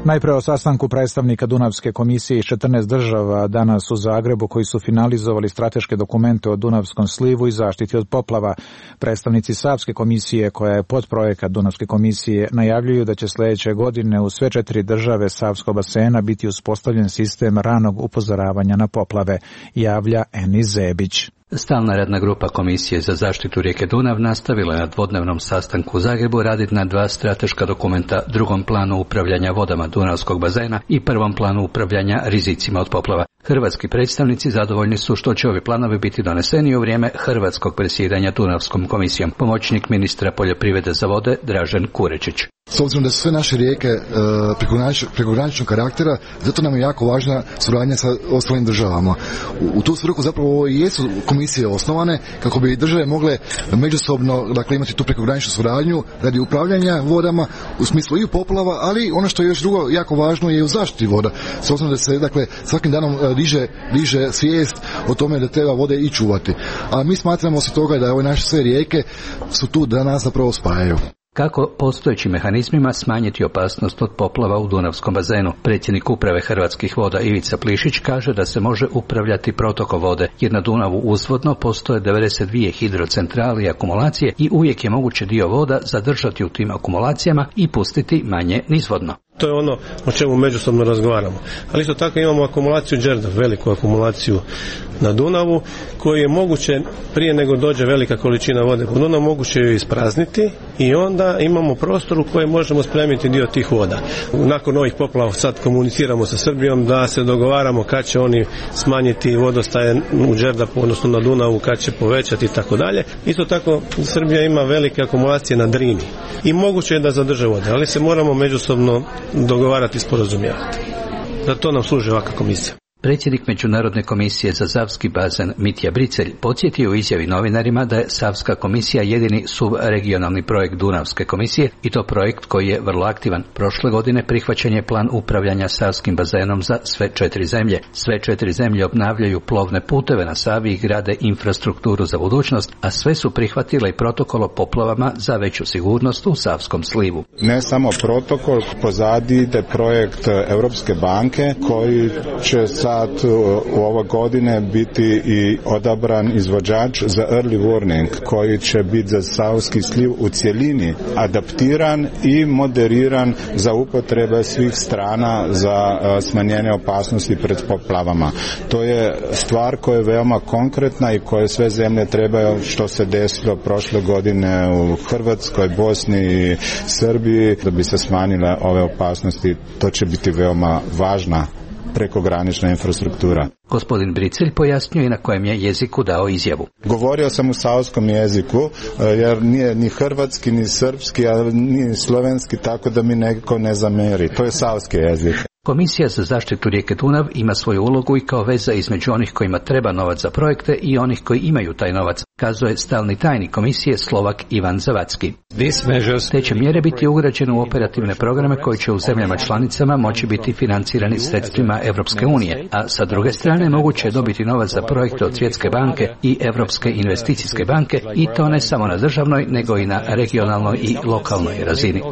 Najpre o sastanku predstavnika Dunavske komisije iz 14 država danas u Zagrebu koji su finalizovali strateške dokumente o Dunavskom slivu i zaštiti od poplava. Predstavnici Savske komisije, koja je podprojekat Dunavske komisije, najavljuju da će sljedeće godine u sve 4 države Savskog basena biti uspostavljen sistem ranog upozoravanja na poplave, javlja Eni Zebić. Stalna radna grupa Komisije za zaštitu rijeke Dunav nastavila je na dvodnevnom sastanku u Zagrebu raditi na 2 strateška dokumenta, drugom planu upravljanja vodama Dunavskog bazena i prvom planu upravljanja rizicima od poplava. Hrvatski predstavnici zadovoljni su što će ovi planovi biti doneseni u vrijeme hrvatskog predsjedanja Dunavskom komisijom. Pomoćnik ministra poljoprivrede za vode Dražen Kurečić. S obzirom da su sve naše rijeke prekograničnog karaktera, zato nam je jako važna suradnja sa ostalim državama. U tu svrhu zapravo i jesu komisije osnovane kako bi države mogle međusobno imati tu prekograničnu suradnju radi upravljanja vodama u smislu i poplava, ali ono što je još drugo jako važno je u zaštiti voda. S obzirom da se svakim danom diže svijest o tome da treba vode i čuvati. A mi smatramo osim toga da ove naše sve rijeke su tu da nas zapravo spajaju. Kako postojećim mehanizmima smanjiti opasnost od poplava u Dunavskom bazenu? Predsjednik uprave Hrvatskih voda Ivica Plišić kaže da se može upravljati protokom vode, jer na Dunavu uzvodno postoje 92 hidrocentrale i akumulacije i uvijek je moguće dio voda zadržati u tim akumulacijama i pustiti manje nizvodno. To je ono o čemu međusobno razgovaramo. Ali isto tako imamo akumulaciju Đerdap, veliku akumulaciju na Dunavu, koju je moguće prije nego dođe velika količina vode po Dunavu, moguće ju isprazniti i onda imamo prostor u kojem možemo spremiti dio tih voda. Nakon ovih poplava sad komuniciramo sa Srbijom da se dogovaramo kad će oni smanjiti vodostaje u Đerdapu, odnosno na Dunavu, kad će povećati i tako dalje. Isto tako Srbija ima velike akumulacije na Drini i moguće je da zadrže vode, ali se moramo međusobno dogovarati i sporazumijevati. Za to nam služi ovakva komisija. Predsjednik Međunarodne komisije za Savski bazen Mitja Bricelj podsjetio u izjavi novinarima da je Savska komisija jedini subregionalni projekt Dunavske komisije i to projekt koji je vrlo aktivan. Prošle godine prihvaćen je plan upravljanja Savskim bazenom za sve 4 zemlje. Sve 4 zemlje obnavljaju plovne puteve na Savi i grade infrastrukturu za budućnost, a sve su prihvatile i protokol o poplavama za veću sigurnost u Savskom slivu. Ne samo protokol, pozadi ide projekt Europske banke koji će sad u ove godine biti i odabran izvođač za early warning koji će biti za Savski sliv u cjelini adaptiran i moderiran za upotrebe svih strana za smanjenje opasnosti pred poplavama. To je stvar koja je veoma konkretna i koje sve zemlje trebaju, što se desilo prošle godine u Hrvatskoj, Bosni i Srbiji, da bi se smanjile ove opasnosti. To će biti veoma važna prekogranična infrastruktura. Gospodin Bricelj pojasnio i na kojem je jeziku dao izjavu. Govorio sam u savskom jeziku, jer nije ni hrvatski, ni srpski, a ni slovenski, tako da mi neko ne zameri. To je savski jezik. Komisija za zaštitu rijeke Dunav ima svoju ulogu i kao veza između onih kojima treba novac za projekte i onih koji imaju taj novac, kazuje stalni tajnik komisije Slovak Ivan Zavacki. Te će mjere biti ugrađene u operativne programe koji će u zemljama članicama moći biti financirani sredstvima Europske unije, a sa druge strane moguće je dobiti novac za projekte od Svjetske banke i Europske investicijske banke i to ne samo na državnoj nego i na regionalnoj i lokalnoj razini.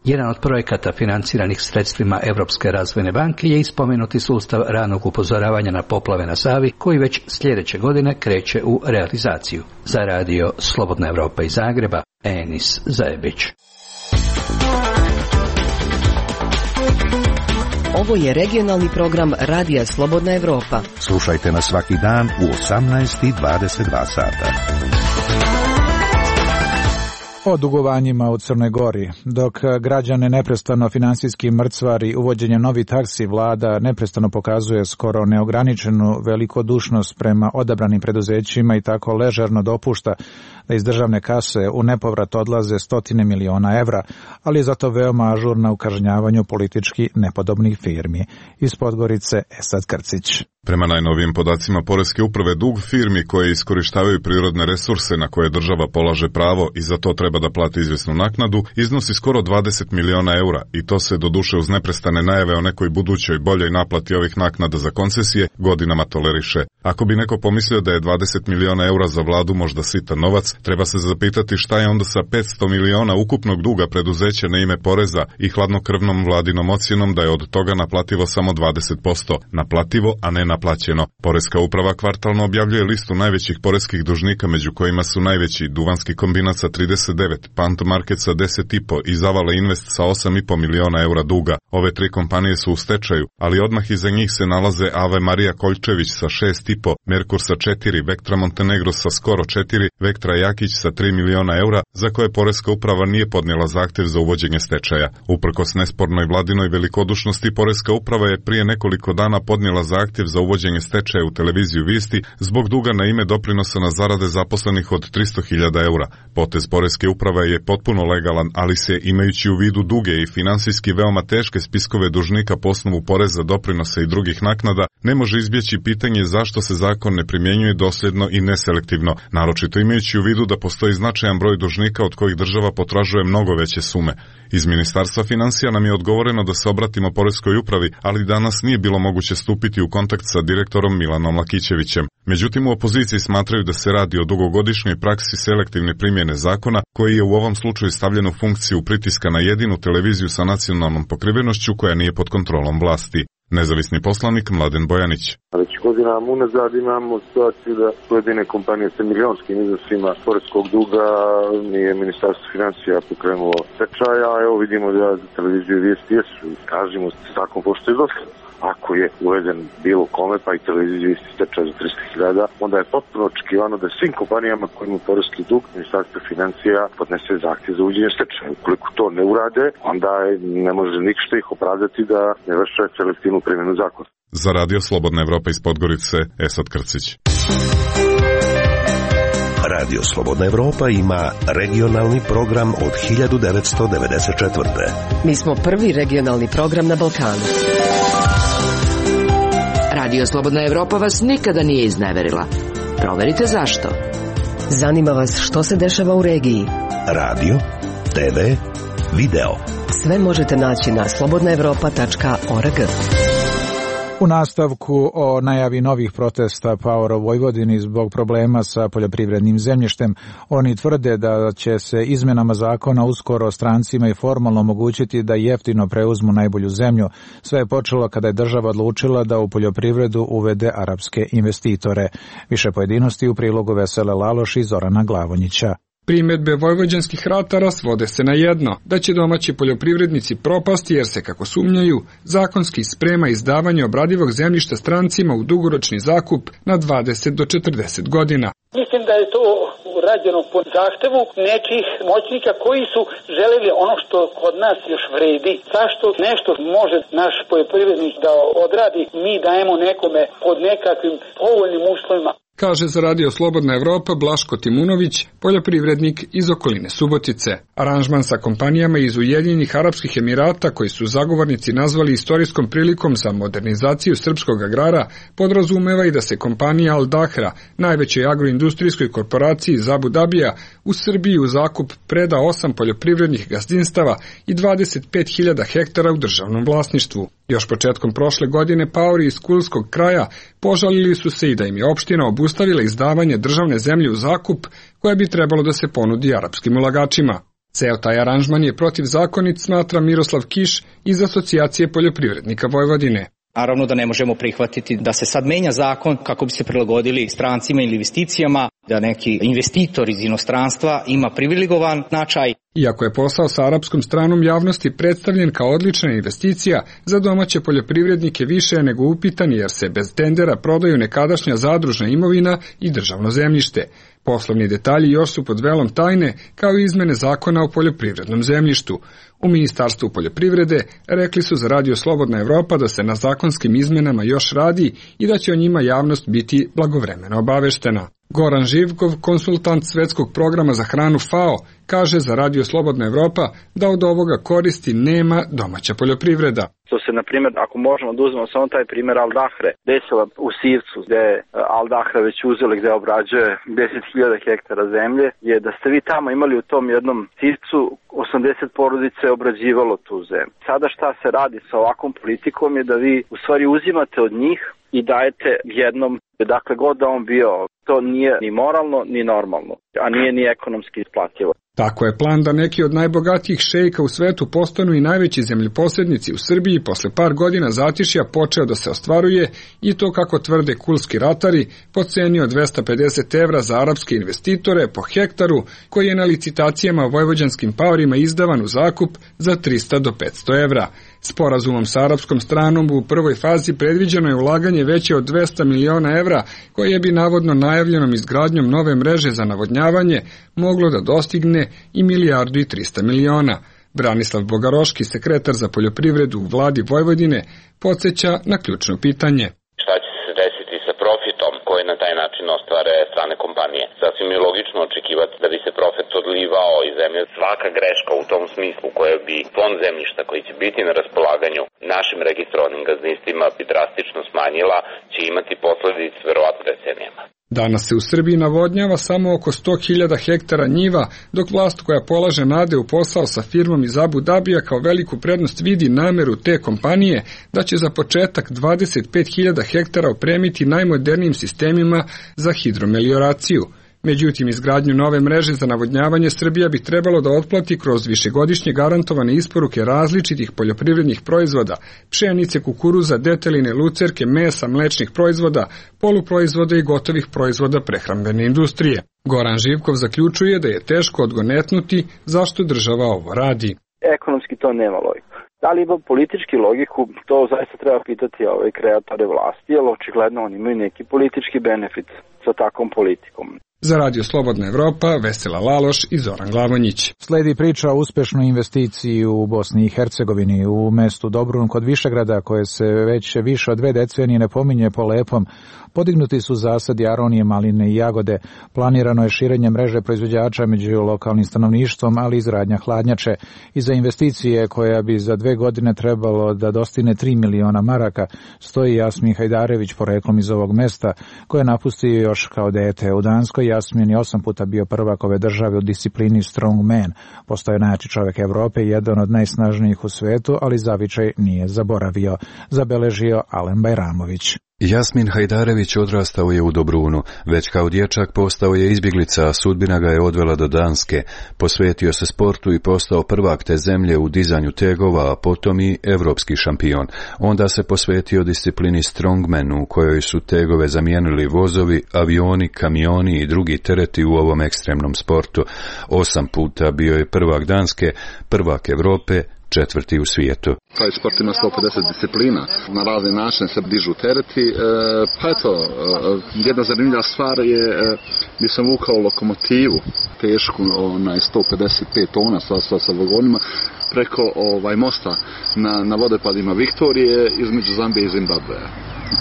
Jedan od projekata financiranih sredstvima Europske razvojne banke je ispomenuti sustav ranog upozoravanja na poplave na Savi koji već sljedeće godine kreće u realizaciju. Za radio Slobodna Evropa iz Zagreba, Enis Zajebić. Ovo je regionalni program Radija Slobodna Evropa. Slušajte nas svaki dan u 18:22 sata. O dugovanjima u Crnoj Gori. Dok građane neprestano finansijski mrcvari uvođenje novih taksi, vlada neprestano pokazuje skoro neograničenu velikodušnost prema odabranim preduzećima i tako ležerno dopušta da iz državne kase u nepovrat odlaze stotine miliona evra, ali je zato veoma ažurna u kažnjavanju politički nepodobnih firmi. Iz Podgorice Esad Krcić. Prema najnovijim podacima Poreske uprave, dug firmi koje iskorištavaju prirodne resurse na koje država polaže pravo i za to treba da plati izvjesnu naknadu, iznosi skoro 20 miliona eura i to se doduše uz neprestane najave o nekoj budućoj boljoj naplati ovih naknada za koncesije godinama toleriše. Ako bi neko pomislio da je 20 miliona eura za vladu možda sitan novac, treba se zapitati šta je onda sa 500 miliona ukupnog duga preduzeća na ime poreza i hladnokrvnom vladinom ocjenom da je od toga naplativo samo 20%. Naplativo, a ne naplaćeno. Poreska uprava kvartalno objavljuje listu najvećih poreskih dužnika, među kojima su najveći Duvanski kombinat sa 39, Pant Market sa 10,5 i Zavala Invest sa 8,5 miliona eura duga. Ove tri kompanije su u stečaju, ali odmah iza njih se nalaze Ave Marija Koljčević sa 6,5, Merkur sa 4, Vektra Montenegro sa skoro 4, Vektra Jakić sa 3 miliona eura, za koje Poreska uprava nije podnijela zahtjev za uvođenje stečaja. Uprkos nespornoj vladinoj velikodušnosti, Poreska uprava je prije nekoliko dana podnijela zahtjev za uvođenje stečaja u televiziju Visti zbog duga na ime doprinosa na zarade zaposlenih od 300.000 eura. Potez Poreske uprave je potpuno legalan, ali se, imajući u vidu duge i finansijski veoma teške spiskove dužnika po osnovu poreza, doprinosa i drugih naknada, ne može izbjeći pitanje zašto se zakon ne primjenjuje dosljedno i neselektivno, naročito imajući u vidu da postoji značajan broj dužnika od kojih država potražuje mnogo veće sume. Iz Ministarstva financija nam je odgovoreno da se obratimo Poreskoj upravi, ali danas nije bilo moguće stupiti u kontakt sa direktorom Milanom Lakićevićem. Međutim, u opoziciji smatraju da se radi o dugogodišnjoj praksi selektivne primjene zakona, koji je u ovom slučaju stavljen u funkciju pritiska na jedinu televiziju sa nacionalnom pokrivenošću koja nije pod kontrolom vlasti. Nezavisni poslanik Mladen Bojanić. Već godinama unazad imamo situaciju da pojedine kompanije sa milionskim iznosima poreskog duga nije Ministarstvo financija pokrenulo stečaja, a evo vidimo da za televiziju Vijesti jesu. Kažemo se zakon poštuje dosljedno. Ako je uveden bilo kome, pa i televiziju Vijesti stečaj za 300.000, onda je potpuno očekivano da svim kompanijama koji imaju poreski dug Ministarstvo financija podnese zahtjev za uvođenje stečaja. Ukoliko to ne urade, onda ne može ništa ih opravdati da ne vrše selektivnu primjenu zakona. Za radio Slobodna Evropa iz Podgorice, Esad Krcić. Radio Slobodna Evropa ima regionalni program od 1994. Mi smo prvi regionalni program na Balkanu. Radio Slobodna Evropa vas nikada nije izneverila. Proverite zašto. Zanima vas što se dešava u regiji? Radio, TV, video. Sve možete naći na slobodnaevropa.org. U nastavku o najavi novih protesta Power of Vojvodini zbog problema sa poljoprivrednim zemljištem, oni tvrde da će se izmenama zakona uskoro strancima i formalno omogućiti da jeftino preuzmu najbolju zemlju. Sve je počelo kada je država odlučila da u poljoprivredu uvede arapske investitore. Više pojedinosti u prilogu Vesele Laloš i Zorana Glavonjića. Primedbe vojvođanskih ratara svode se na jedno, da će domaći poljoprivrednici propasti jer se, kako sumnjaju, zakonski sprema izdavanje obradivog zemljišta strancima u dugoročni zakup na 20 do 40 godina. Mislim da je to rađeno po zahtevu nekih moćnika koji su želeli ono što kod nas još vredi. Zašto nešto može naš poljoprivrednik da odradi, mi dajemo nekome pod nekakvim povoljnim uslovima. Kaže za Radio Slobodna Evropa Blaško Timunović, poljoprivrednik iz okoline Subotice. Aranžman sa kompanijama iz Ujedinjenih Arapskih Emirata, koji su zagovornici nazvali istorijskom prilikom za modernizaciju srpskog agrara, podrazumeva i da se kompanija Al Dahra, najvećoj agroindustrijskoj korporaciji iz Abu Dabija, u Srbiji u zakup preda 8 poljoprivrednih gazdinstava i 25.000 hektara u državnom vlasništvu. Još početkom prošle godine paori iz Kulskog kraja požalili su se i da im je opština obustavila izdavanje državne zemlje u zakup koja bi trebalo da se ponudi arapskim ulagačima. Ceo taj aranžman je protivzakonit, smatra Miroslav Kiš iz Asocijacije poljoprivrednika Vojvodine. Naravno da ne možemo prihvatiti da se sad menja zakon kako bi se prilagodili strancima ili investicijama, da neki investitor iz inostranstva ima privilegovan značaj. Iako je posao sa arapskom stranom javnosti predstavljen kao odlična investicija, za domaće poljoprivrednike više je nego upitan jer se bez tendera prodaju nekadašnja zadružna imovina i državno zemljište. Poslovni detalji još su pod velom tajne, kao i izmene zakona o poljoprivrednom zemljištu. U Ministarstvu poljoprivrede rekli su za Radio Slobodna Evropa da se na zakonskim izmenama još radi i da će o njima javnost biti blagovremeno obaveštena. Goran Živkov, konsultant Svetskog programa za hranu FAO, kaže za Radio Slobodna Evropa da od ovoga koristi nema domaća poljoprivreda. To se, na primjer, ako možemo da uzmemo samo taj primjer Al Dahre, desila u Sivcu, gde je Al Dahra već uzeli, gde obrađuje 10.000 hektara zemlje, je da ste vi tamo imali u tom jednom Sivcu 80 porodice obrađivalo tu zemlju. Sada šta se radi sa ovakvom politikom je da vi u stvari uzimate od njih i dajete jednom, dakle god da on bio, to nije ni moralno ni normalno, a nije ni ekonomski isplativo. Tako je plan da neki od najbogatijih šejka u svetu postanu i najveći zemljoposjednici u Srbiji posle par godina zatišja počeo da se ostvaruje i to, kako tvrde kulski ratari, po ceni od 250 evra za arapske investitore po hektaru, koji je na licitacijama vojvođanskim paorima izdavan u zakup za 300 do 500 evra. Sporazumom sa arapskom stranom u prvoj fazi predviđeno je ulaganje veće od 200 miliona evra, koje bi navodno najavljenom izgradnjom nove mreže za navodnjavanje moglo da dostigne i 1.300 miliona. Branislav Bogaroški, sekretar za poljoprivredu u vladi Vojvodine, podsjeća na ključno pitanje. Šta će se desiti sa profitom koji na taj način ostvare strane kompanije? Sasvim je logično očekivati da bi se profit odlivao iz zemlje. Svaka greška u tom smislu koja bi fond zemljišta koji će biti na raspolaganju našim registrovanim gazdinstvima bi drastično smanjila, će imati posledice verovatno decenijama. Danas se u Srbiji navodnjava samo oko 100.000 hektara njiva, dok vlast koja polaže nade u posao sa firmom iz Abu Dabija kao veliku prednost vidi nameru te kompanije da će za početak 25.000 hektara opremiti najmodernijim sistemima za hidromelioraciju. Međutim, izgradnju nove mreže za navodnjavanje Srbija bi trebalo da otplati kroz višegodišnje garantovane isporuke različitih poljoprivrednih proizvoda, pšenice, kukuruza, deteline, lucerke, mesa, mlečnih proizvoda, poluproizvoda i gotovih proizvoda prehrambene industrije. Goran Živkov zaključuje da je teško odgonetnuti zašto država ovo radi. Ekonomski to nema logiku. Da li ima politički logiku, to zaista treba pitati kreatore vlasti, jer očigledno oni imaju neki politički benefit sa takvom politikom. Za Radio Slobodna Evropa, Vesela Laloš i Zoran Glavonjić. Sledi priča o uspešnoj investiciji u Bosni i Hercegovini. U mestu Dobrun kod Višegrada, koje se već više od 2 decenije ne pominje po lepom, podignuti su zasadi aronije, maline i jagode. Planirano je širenje mreže proizvođača među lokalnim stanovništvom, ali i izgradnja hladnjače. Iza investicije, koja bi za 2 godine trebalo da dostigne 3 miliona maraka, stoji Jasmin Hajdarević, poreklom iz ovog mesta, koje je napustio još kao dete. U Danskoj Jasmin je 8 puta bio prvak ove države u disciplini strongman. Postao je najjači čovjek Evrope i jedan od najsnažnijih u svetu, ali zavičaj nije zaboravio, zabeležio Alen Bajramović. Jasmin Hajdarević odrastao je u Dobrunu, već kao dječak postao je izbjeglica, a sudbina ga je odvela do Danske. Posvetio se sportu i postao prvak te zemlje u dizanju tegova, a potom i evropski šampion. Onda se posvetio disciplini strongman, u kojoj su tegove zamijenili vozovi, avioni, kamioni i drugi tereti u ovom ekstremnom sportu. 8 puta bio je prvak Danske, prvak Evrope, 4. u svijetu. Taj sport ima 150 disciplina, na razne načine se dižu tereti, pa eto, jedna zanimljiva stvar je gdje sam vukao lokomotivu, tešku 155 tona sa vagonima, preko mosta na vodopadima Viktorije između Zambije i Zimbabvea.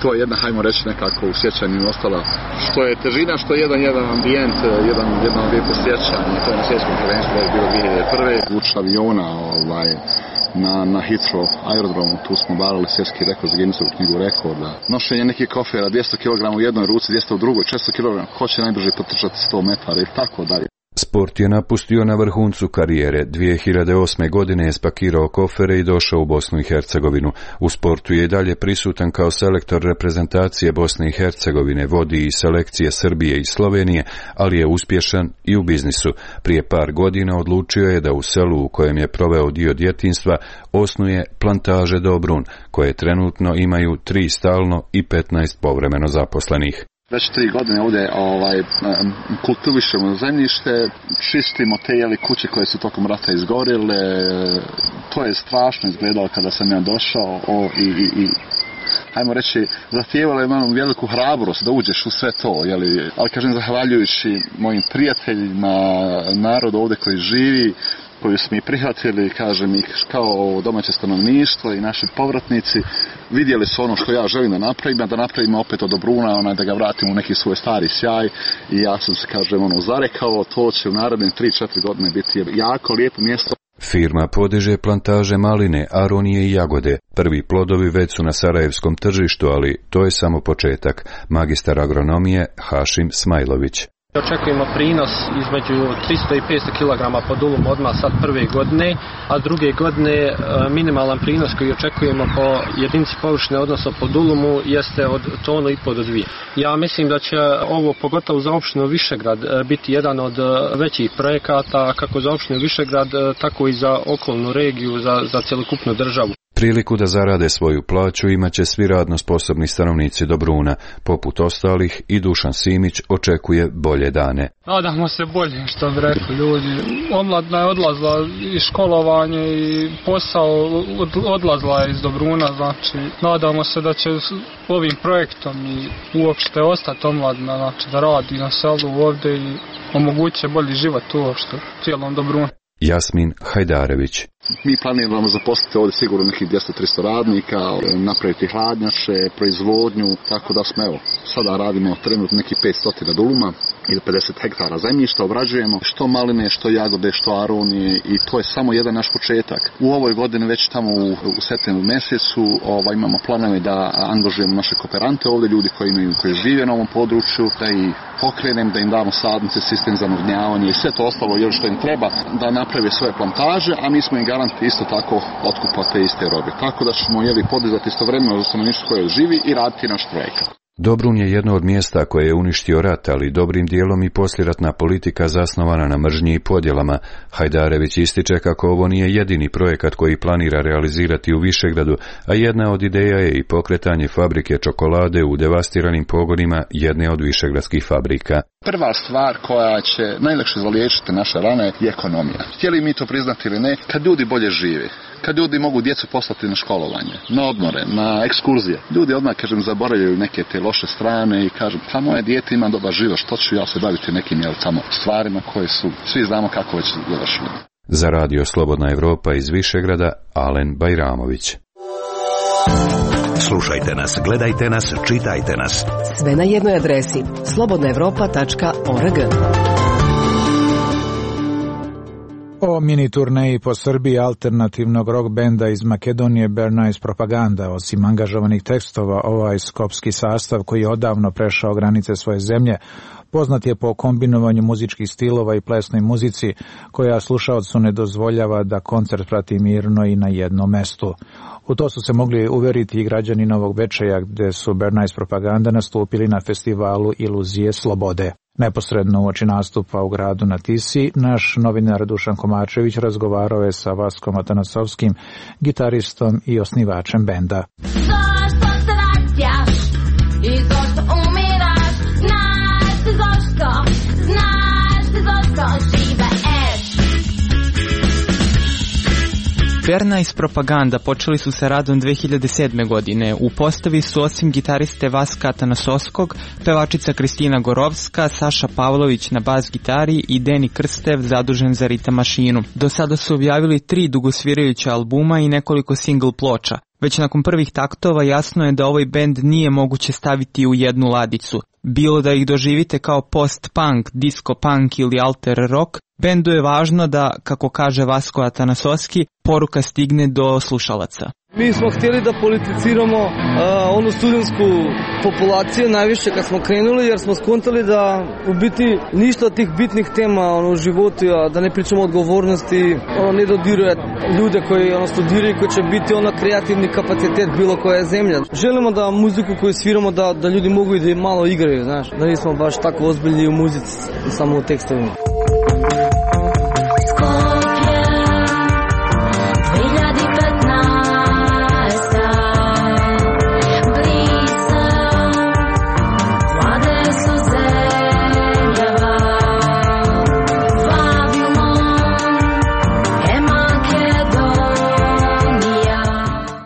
To je jedna, hajmo reći, nekako u sjećanju ostala, što je težina, što je jedan ambijent, jedan lijepo sjećanje. To je na svjetskom prvenstvu bilo 2001. Vuč aviona na Heathrow aerodromu, tu smo barali svjetski rekord za Guinnessovu knjigu rekorda. Nošenje nekih kofera, 200 kg u jednoj ruci, 200 u drugoj, 400 kg, ko će najbrže potrčati 100 metara i tako dalje. Sport je napustio na vrhuncu karijere. 2008. godine je spakirao kofere i došao u Bosnu i Hercegovinu. U sportu je i dalje prisutan kao selektor reprezentacije Bosne i Hercegovine, vodi i selekcije Srbije i Slovenije, ali je uspješan i u biznisu. Prije par godina odlučio je da u selu u kojem je proveo dio djetinjstva osnuje plantaže Dobrun, koje trenutno imaju 3 stalno i 15 povremeno zaposlenih. Već 3 godine ovdje kultivišemo zemljište, čistimo te kuće koje su tokom rata izgorile. To je strašno izgledalo kada sam ja došao i hajmo reći, zahtijevalo je malo veliku hrabrost da uđeš u sve to, ali kažem, zahvaljujući mojim prijateljima, narodu ovdje koji živi, koju smo i prihvatili, kažem, i kao domaće stanovništvo i naši povratnici, vidjeli su ono što ja želim da napravimo opet od Dobruna, da ga vratimo u neki svoj stari sjaj, i ja sam se, kažem, zarekao, to će u narednim 3-4 godine biti jako lijepo mjesto. Firma podiže plantaže maline, aronije i jagode. Prvi plodovi već su na sarajevskom tržištu, ali to je samo početak. Magistar agronomije Hašim Smajlović. Očekujemo prinos između 300 i 500 kg po dulumu odmah sad prve godine, a druge godine minimalan prinos koji očekujemo po jedinici površine, odnosno po dulumu, jeste od 1,5 tonu do 2. Ja mislim da će ovo, pogotovo za opštinu Višegrad, biti jedan od većih projekata, kako za opštinu Višegrad, tako i za okolnu regiju, za cjelokupnu državu. Priliku da zarade svoju plaću imaće svi radno sposobni stanovnici Dobruna. Poput ostalih, i Dušan Simić očekuje bolje dane. Nadamo se bolje, što bi rekli ljudi. Omladina je odlazila iz školovanja i posao odlazila je iz Dobruna, znači nadamo se da će ovim projektom i uopšte ostati omladina, znači da radi na selu ovdje i omoguće bolji život uopšte u cijelom Dobrunu. Jasmin Hajdarević. Mi planiramo zaposliti ovdje sigurno nekih 200-300 radnika, napraviti hladnjače, proizvodnju, tako da smo, sada radimo trenutno nekih 500 duluma ili 50 hektara zemljišta, obrađujemo što maline, što jagode, što aronije, i to je samo jedan naš početak. U ovoj godini, već tamo u septembru mjesecu, imamo planove da angažujemo naše kooperante ovdje, ljudi koji žive na ovom području, da ih pokrenem, da im damo sadnice, sistem za navodnjavanje i sve to ostalo što im treba da naprave svoje plantaže, a mi smo im garanti isto tako otkupa te iste robe. Tako da ćemo podizati istovremeno za stanovništvo koje živi i raditi naš projekat. Dobrun je jedno od mjesta koje je uništio rat, ali dobrim dijelom i poslijeratna politika zasnovana na mržnji i podjelama. Hajdarević ističe kako ovo nije jedini projekat koji planira realizirati u Višegradu, a jedna od ideja je i pokretanje fabrike čokolade u devastiranim pogonima jedne od višegradskih fabrika. Prva stvar koja će najlakše zaliječiti naše rane je ekonomija. Htjeli mi to priznati ili ne, kad ljudi bolje žive, kad ljudi mogu djecu poslati na školovanje, na odmore, na ekskurzije, ljudi odmah, zaboravljaju neke te loše strane i kažu, pa moje dijete ima dobar život, što ću ja se baviti nekim tamo stvarima koje su, svi znamo kako već završili. Za radio Slobodna Evropa iz Višegrada, Alen Bajramović. Slušajte nas, gledajte nas, čitajte nas. Sve na jednoj adresi slobodnaevropa.org. O mini turneji po Srbiji alternativnog rock benda iz Makedonije Bernays Propaganda. Osim angažovanih tekstova, ovaj skopski sastav koji je odavno prešao granice svoje zemlje, poznat je po kombinovanju muzičkih stilova i plesnoj muzici, koja slušaocu ne dozvoljava da koncert prati mirno i na jednom mestu. U to su se mogli uveriti i građani Novog Bečeja, gde su Bernays Propaganda nastupili na festivalu Iluzije slobode. Neposredno uoči nastupa u gradu na Tisi, naš novinar Dušan Komačević razgovarao je sa Vaskom Atanasovskim, gitaristom i osnivačem benda. Zašto se vraćaš i zašto umiraš? Znaš ti zašto žive Bernays Propaganda počeli su sa radom 2007. godine. U postavi su osim gitariste Vaska Atanasovskog, pevačica Kristina Gorovska, Saša Pavlović na bas gitari i Deni Krstev zadužen za ritam mašinu. Do sada su objavili 3 dugosvirajuća albuma i nekoliko single ploča. Već nakon prvih taktova jasno je da ovaj bend nije moguće staviti u jednu ladicu. Bilo da ih doživite kao post-punk, disco-punk ili alter rock, bendu je važno da, kako kaže Vasko Atanasovski, poruka stigne do slušalaca. Mi smo htjeli da politiciramo onu studentsku populaciju najviše kad smo krenuli, jer smo skontali da u biti ništa od tih bitnih tema u životu, da ne pričamo o odgovornosti, ne dodiruje ljude koji studiraju, koji će biti kreativni kapacitet bilo koja zemlja. Želimo da muziku koju sviramo da ljudi mogu i da malo igraju, znaš, da nismo baš tako ozbiljni u muzici, samo u tekstovima.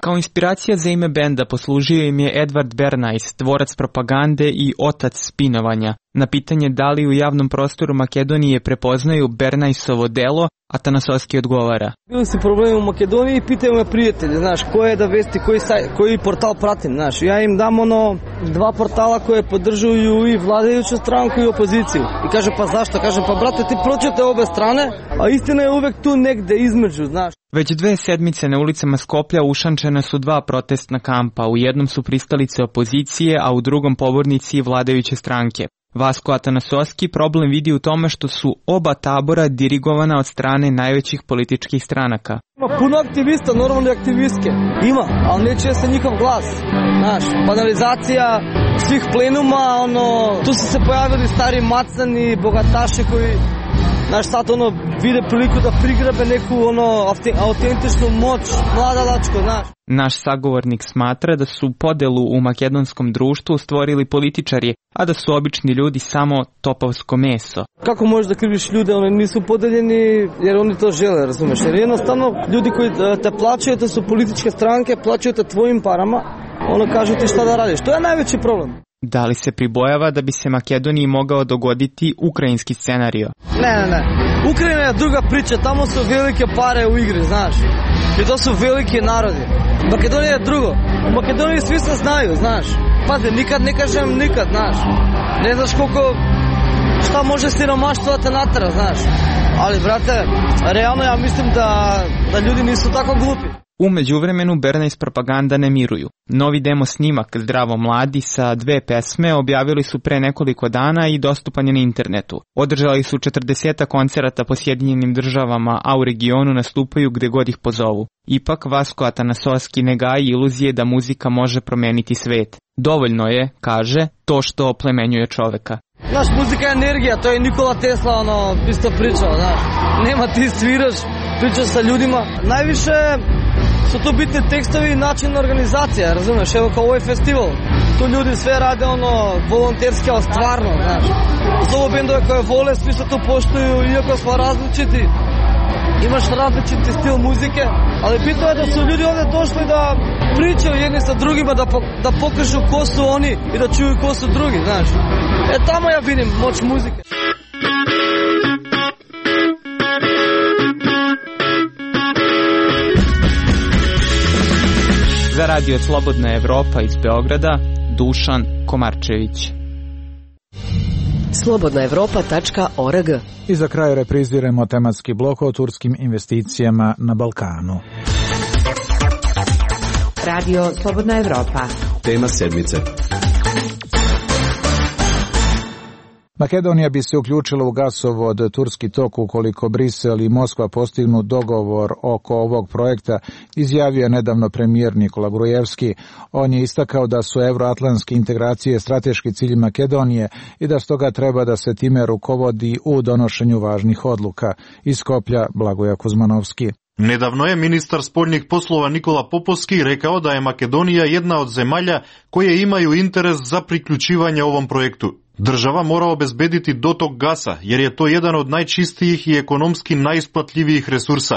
Kao inspiracija za ime benda poslužio im je Edvard Bernays, tvorac propagande i otac spinovanja. Na pitanje da li u javnom prostoru Makedonije prepoznaju Bernaysovo delo, Atanasovski odgovara. Bili su problemi u Makedoniji i pitaju me prijatelje, znaš, koje da vesti, koji portal pratim, znaš. Ja im dam 2 portala koje podržuju i vladajuću stranku i opoziciju. I kaže, pa zašto? Kažem, pa brate, ti pročite obe strane, a istina je uvek tu negde između, znaš. Već 2 sedmice na ulicama Skoplja ušančena su 2 protestna kampa. U jednom su pristalice opozicije, a u drugom pobornici vladajuće stranke. Vasko Atanasovski problem vidi u tome što su oba tabora dirigovana od strane najvećih političkih stranaka. Ima puno aktivista, normalne aktivistke. Ima, ali neće se njihov glas. Znaš, banalizacija svih plenuma, tu su se pojavili stari macani, bogataši koji, znaš, sad vide priliku da prigrabe neku autentičnu moć, mladalačko, znaš. Naš sagovornik smatra da su podelu u makedonskom društvu stvorili političari, a da su obični ljudi samo topovsko meso. Kako možeš da kriviš ljude, oni nisu podeljeni jer oni to žele, razumeš? Jer jednostavno ljudi koji te plaćaju, to su političke stranke, plaćaju te tvojim parama, kažu ti šta da radiš. To je najveći problem. Da li se pribojava da bi se Makedoniji mogao dogoditi ukrajinski scenario? Ne. Ukrajina je druga priča, tamo su velike pare u igri, znaš. I to su veliki narodi. Makedonija je drugo. U Makedoniji svi se znaju, znaš. Pazi, nikad ne kažem nikad, znaš. Ne znaš šta može siromaštvo da te natera, znaš. Ali, brate, realno ja mislim da ljudi nisu tako glupi. U međuvremenu Bernays Propaganda ne miruju. Novi demo snimak Zdravo mladi sa 2 pesme objavili su pre nekoliko dana i dostupan je na internetu. Održali su 40 koncerata po Sjedinjenim državama, a u regionu nastupaju gde god ih pozovu. Ipak Vasko Atanasovski ne gaji iluzije da muzika može promeniti svet. Dovoljno je, kaže, to što oplemenjuje čoveka. Znaš, muzika je energija, to je Nikola Tesla isto pričao, znaš. Nema, ti sviraš, pričaš sa ljudima. Najviše su tu bitni tekstovi i način organizacija, razumeš, evo kao ovaj festival. tu ljudi sve rade volonterski, ali stvarno, znaš. Zovu bendove koje vole, svi se to poštuju, iako smo različiti. Imaš različiti stil muzike, ali bitno je da su ljudi ovdje došli da pričaju jedni sa drugima, da pokažu ko su oni i da čuju ko su drugi, znaš. Tamo ja vidim moć muzike. Za radio Slobodna Evropa iz Beograda, Dušan Komarčević. slobodnaevropa.org. I za kraj repriziramo tematski blok o turskim investicijama na Balkanu. Radio Slobodna Evropa. Tema sedmice. Makedonija bi se uključila u gasovod Turski tok ukoliko Brisel i Moskva postignu dogovor oko ovog projekta, izjavio je nedavno premijer Nikola Grujevski. On je istakao da su evroatlantske integracije strateški cilj Makedonije i da stoga treba da se time rukovodi u donošenju važnih odluka. Iz Skoplja Blagoje Kuzmanovski. Nedavno je ministar spoljnih poslova Nikola Popovski rekao da je Makedonija jedna od zemalja koje imaju interes za priključivanje ovom projektu. Država mora obezbediti dotok gasa, jer je to jedan od najčistijih i ekonomski najisplatljivijih resursa,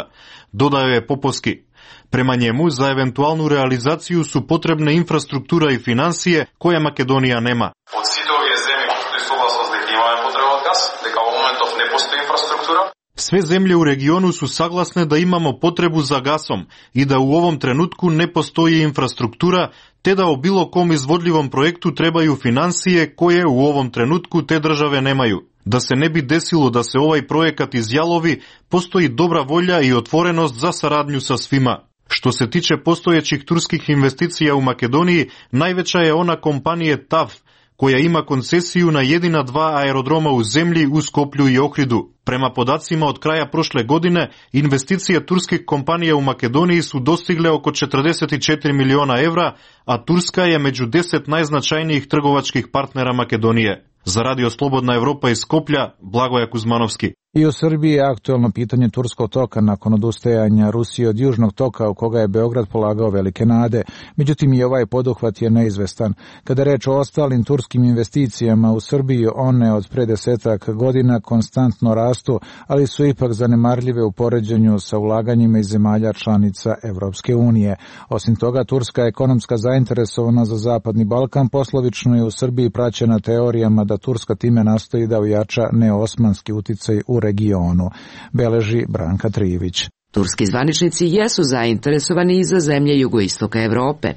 dodao je Popovski. Prema njemu, za eventualnu realizaciju su potrebne infrastruktura i financije koje Makedonija nema. Od site ove zemlje postoji suglasnost da imamo potrebu od gas, da kao momentov ne postoji infrastruktura. Sve zemlje u regionu su saglasne da imamo potrebu za gasom i da u ovom trenutku ne postoji infrastruktura, te da o bilo kom izvodljivom projektu trebaju financije koje u ovom trenutku te države nemaju. Da se ne bi desilo da se ovaj projekat izjalovi, postoji dobra volja i otvorenost za saradnju sa svima. Što se tiče postojećih turskih investicija u Makedoniji, najveća je ona kompanije TAV, koja ima koncesiju na jedina 2 aerodroma u zemlji u Skoplju i Ohridu. Prema podacima od kraja prošle godine, investicije turskih kompanija u Makedoniji su dostigle oko 44 miliona evra, a Turska je među 10 najznačajnijih trgovačkih partnera Makedonije. Za radio Slobodna Evropa iz Skoplja, Blagoje Kuzmanovski. I u Srbiji je aktuelno pitanje Turskog toka nakon odustajanja Rusije od Južnog toka u koga je Beograd polagao velike nade. Međutim, i ovaj poduhvat je neizvestan. Kada je reč o ostalim turskim investicijama u Srbiji, one od pre 10 godina konstantno rastu, ali su ipak zanemarljive u poređenju sa ulaganjima iz zemalja članica Evropske unije. Osim toga, turska ekonomska zainteresovana za Zapadni Balkan poslovično je u Srbiji praćena teorijama da Turska time nastoji da ojača neosmanski uticaj u regionu, beleži Branka Trivić. Turski zvaničnici jesu zainteresovani i za zemlje jugoistoka Evrope.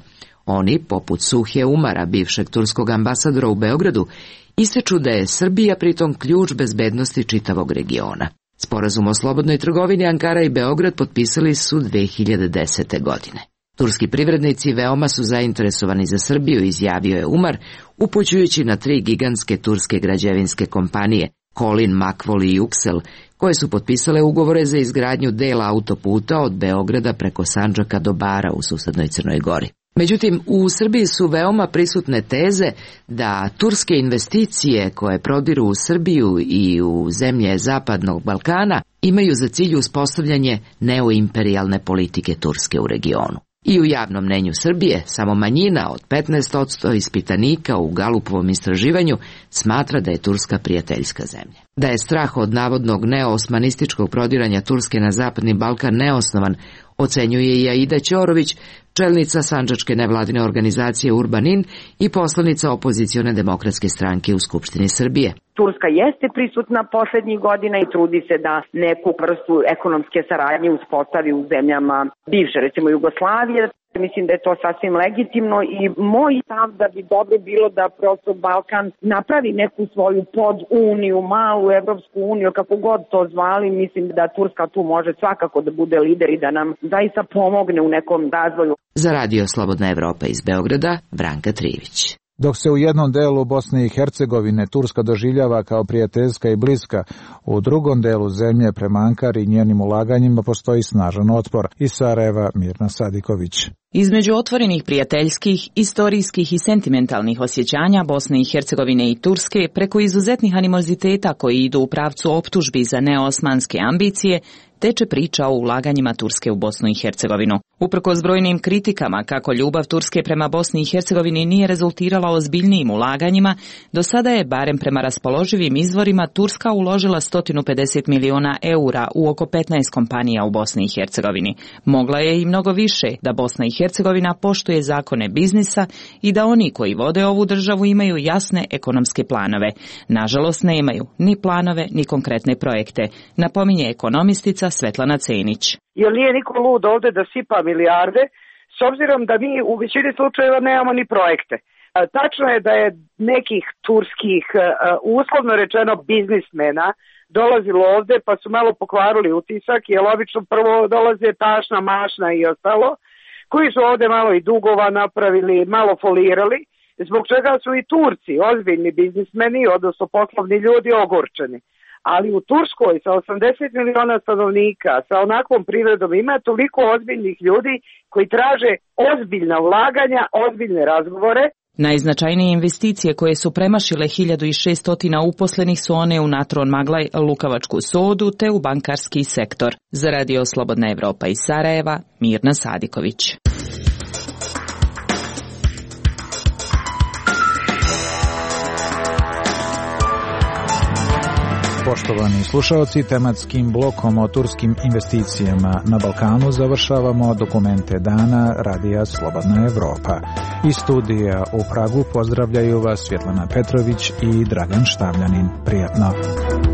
Oni, poput Suhje Umara, bivšeg turskog ambasadora u Beogradu, ističu da je Srbija pritom ključ bezbednosti čitavog regiona. Sporazum o slobodnoj trgovini Ankara i Beograd potpisali su 2010. godine. Turski privrednici veoma su zainteresovani za Srbiju, izjavio je Umar, upućujući na 3 gigantske turske građevinske kompanije, Kolin, Makvol i Juksel, koje su potpisale ugovore za izgradnju dela autoputa od Beograda preko Sandžaka do Bara u susednoj Crnoj Gori. Međutim, u Srbiji su veoma prisutne teze da turske investicije koje prodiru u Srbiju i u zemlje Zapadnog Balkana imaju za cilj uspostavljanje neoimperijalne politike Turske u regionu. I u javnom mnenju Srbije samo manjina od 15% ispitanika u Galupovom istraživanju smatra da je Turska prijateljska zemlja. Da je strah od navodnog neoosmanističkog prodiranja Turske na Zapadni Balkan neosnovan, ocenjuje i Aida Ćorović, čelnica sandžačke nevladine organizacije Urbanin i poslanica opozicione demokratske stranke u Skupštini Srbije. Turska jeste prisutna poslednjih godina i trudi se da neku vrstu ekonomske saradnje uspostavi u zemljama bivše, recimo Jugoslavije. Mislim da je to sasvim legitimno i moj stav da bi dobro bilo da prosto Balkan napravi neku svoju poduniju, malu Evropsku uniju, kako god to zvali. Mislim da Turska tu može svakako da bude lider i da nam zaista pomogne u nekom razvoju. Za radio Slobodna Evropa iz Beograda, Branka Trivić. Dok se u jednom delu Bosne i Hercegovine Turska doživljava kao prijateljska i bliska, u drugom delu zemlje prema Ankari i njenim ulaganjima postoji snažan otpor. Iz Sarajeva, Mirna Sadiković. Između otvorenih prijateljskih, istorijskih i sentimentalnih osjećanja Bosne i Hercegovine i Turske preko izuzetnih animoziteta koji idu u pravcu optužbi za neosmanske ambicije, teče priča o ulaganjima Turske u Bosnu i Hercegovinu. Uprkos brojnim kritikama kako ljubav Turske prema Bosni i Hercegovini nije rezultirala ozbiljnijim ulaganjima, do sada je, barem prema raspoloživim izvorima, Turska uložila 150 miliona eura u oko 15 kompanija u Bosni i Hercegovini. Mogla je i mnogo više da Bosna i Hercegovina poštuje zakone biznisa i da oni koji vode ovu državu imaju jasne ekonomske planove. Nažalost, nemaju ni planove ni konkretne projekte, napominje ekonomistica Svetlana Cenić. Jer nije niko lud ovde da sipa milijarde, s obzirom da mi u većini slučajeva nemamo ni projekte. Tačno je da je nekih turskih, uslovno rečeno, biznismena dolazilo ovde pa su malo pokvarili utisak, jer obično prvo dolaze tašna, mašna i ostalo, koji su ovde malo i dugova napravili, malo folirali, zbog čega su i Turci, ozbiljni biznismeni, odnosno poslovni ljudi, ogorčeni. Ali u Turskoj sa 80 miliona stanovnika, sa onakvom privredom ima toliko ozbiljnih ljudi koji traže ozbiljna ulaganja, ozbiljne razgovore. Najznačajnije investicije koje su premašile 1600 uposlenih su one u Natron Maglaj, Lukavačku sodu te u bankarski sektor. Za Radio Slobodna Evropa iz Sarajeva, Mirna Sadiković. Poštovani slušaoci, tematskim blokom o turskim investicijama na Balkanu završavamo dokumente dana Radija Slobodna Evropa. Iz studija u Pragu pozdravljaju vas Svjetlana Petrović i Dragan Štavljanin. Prijatno!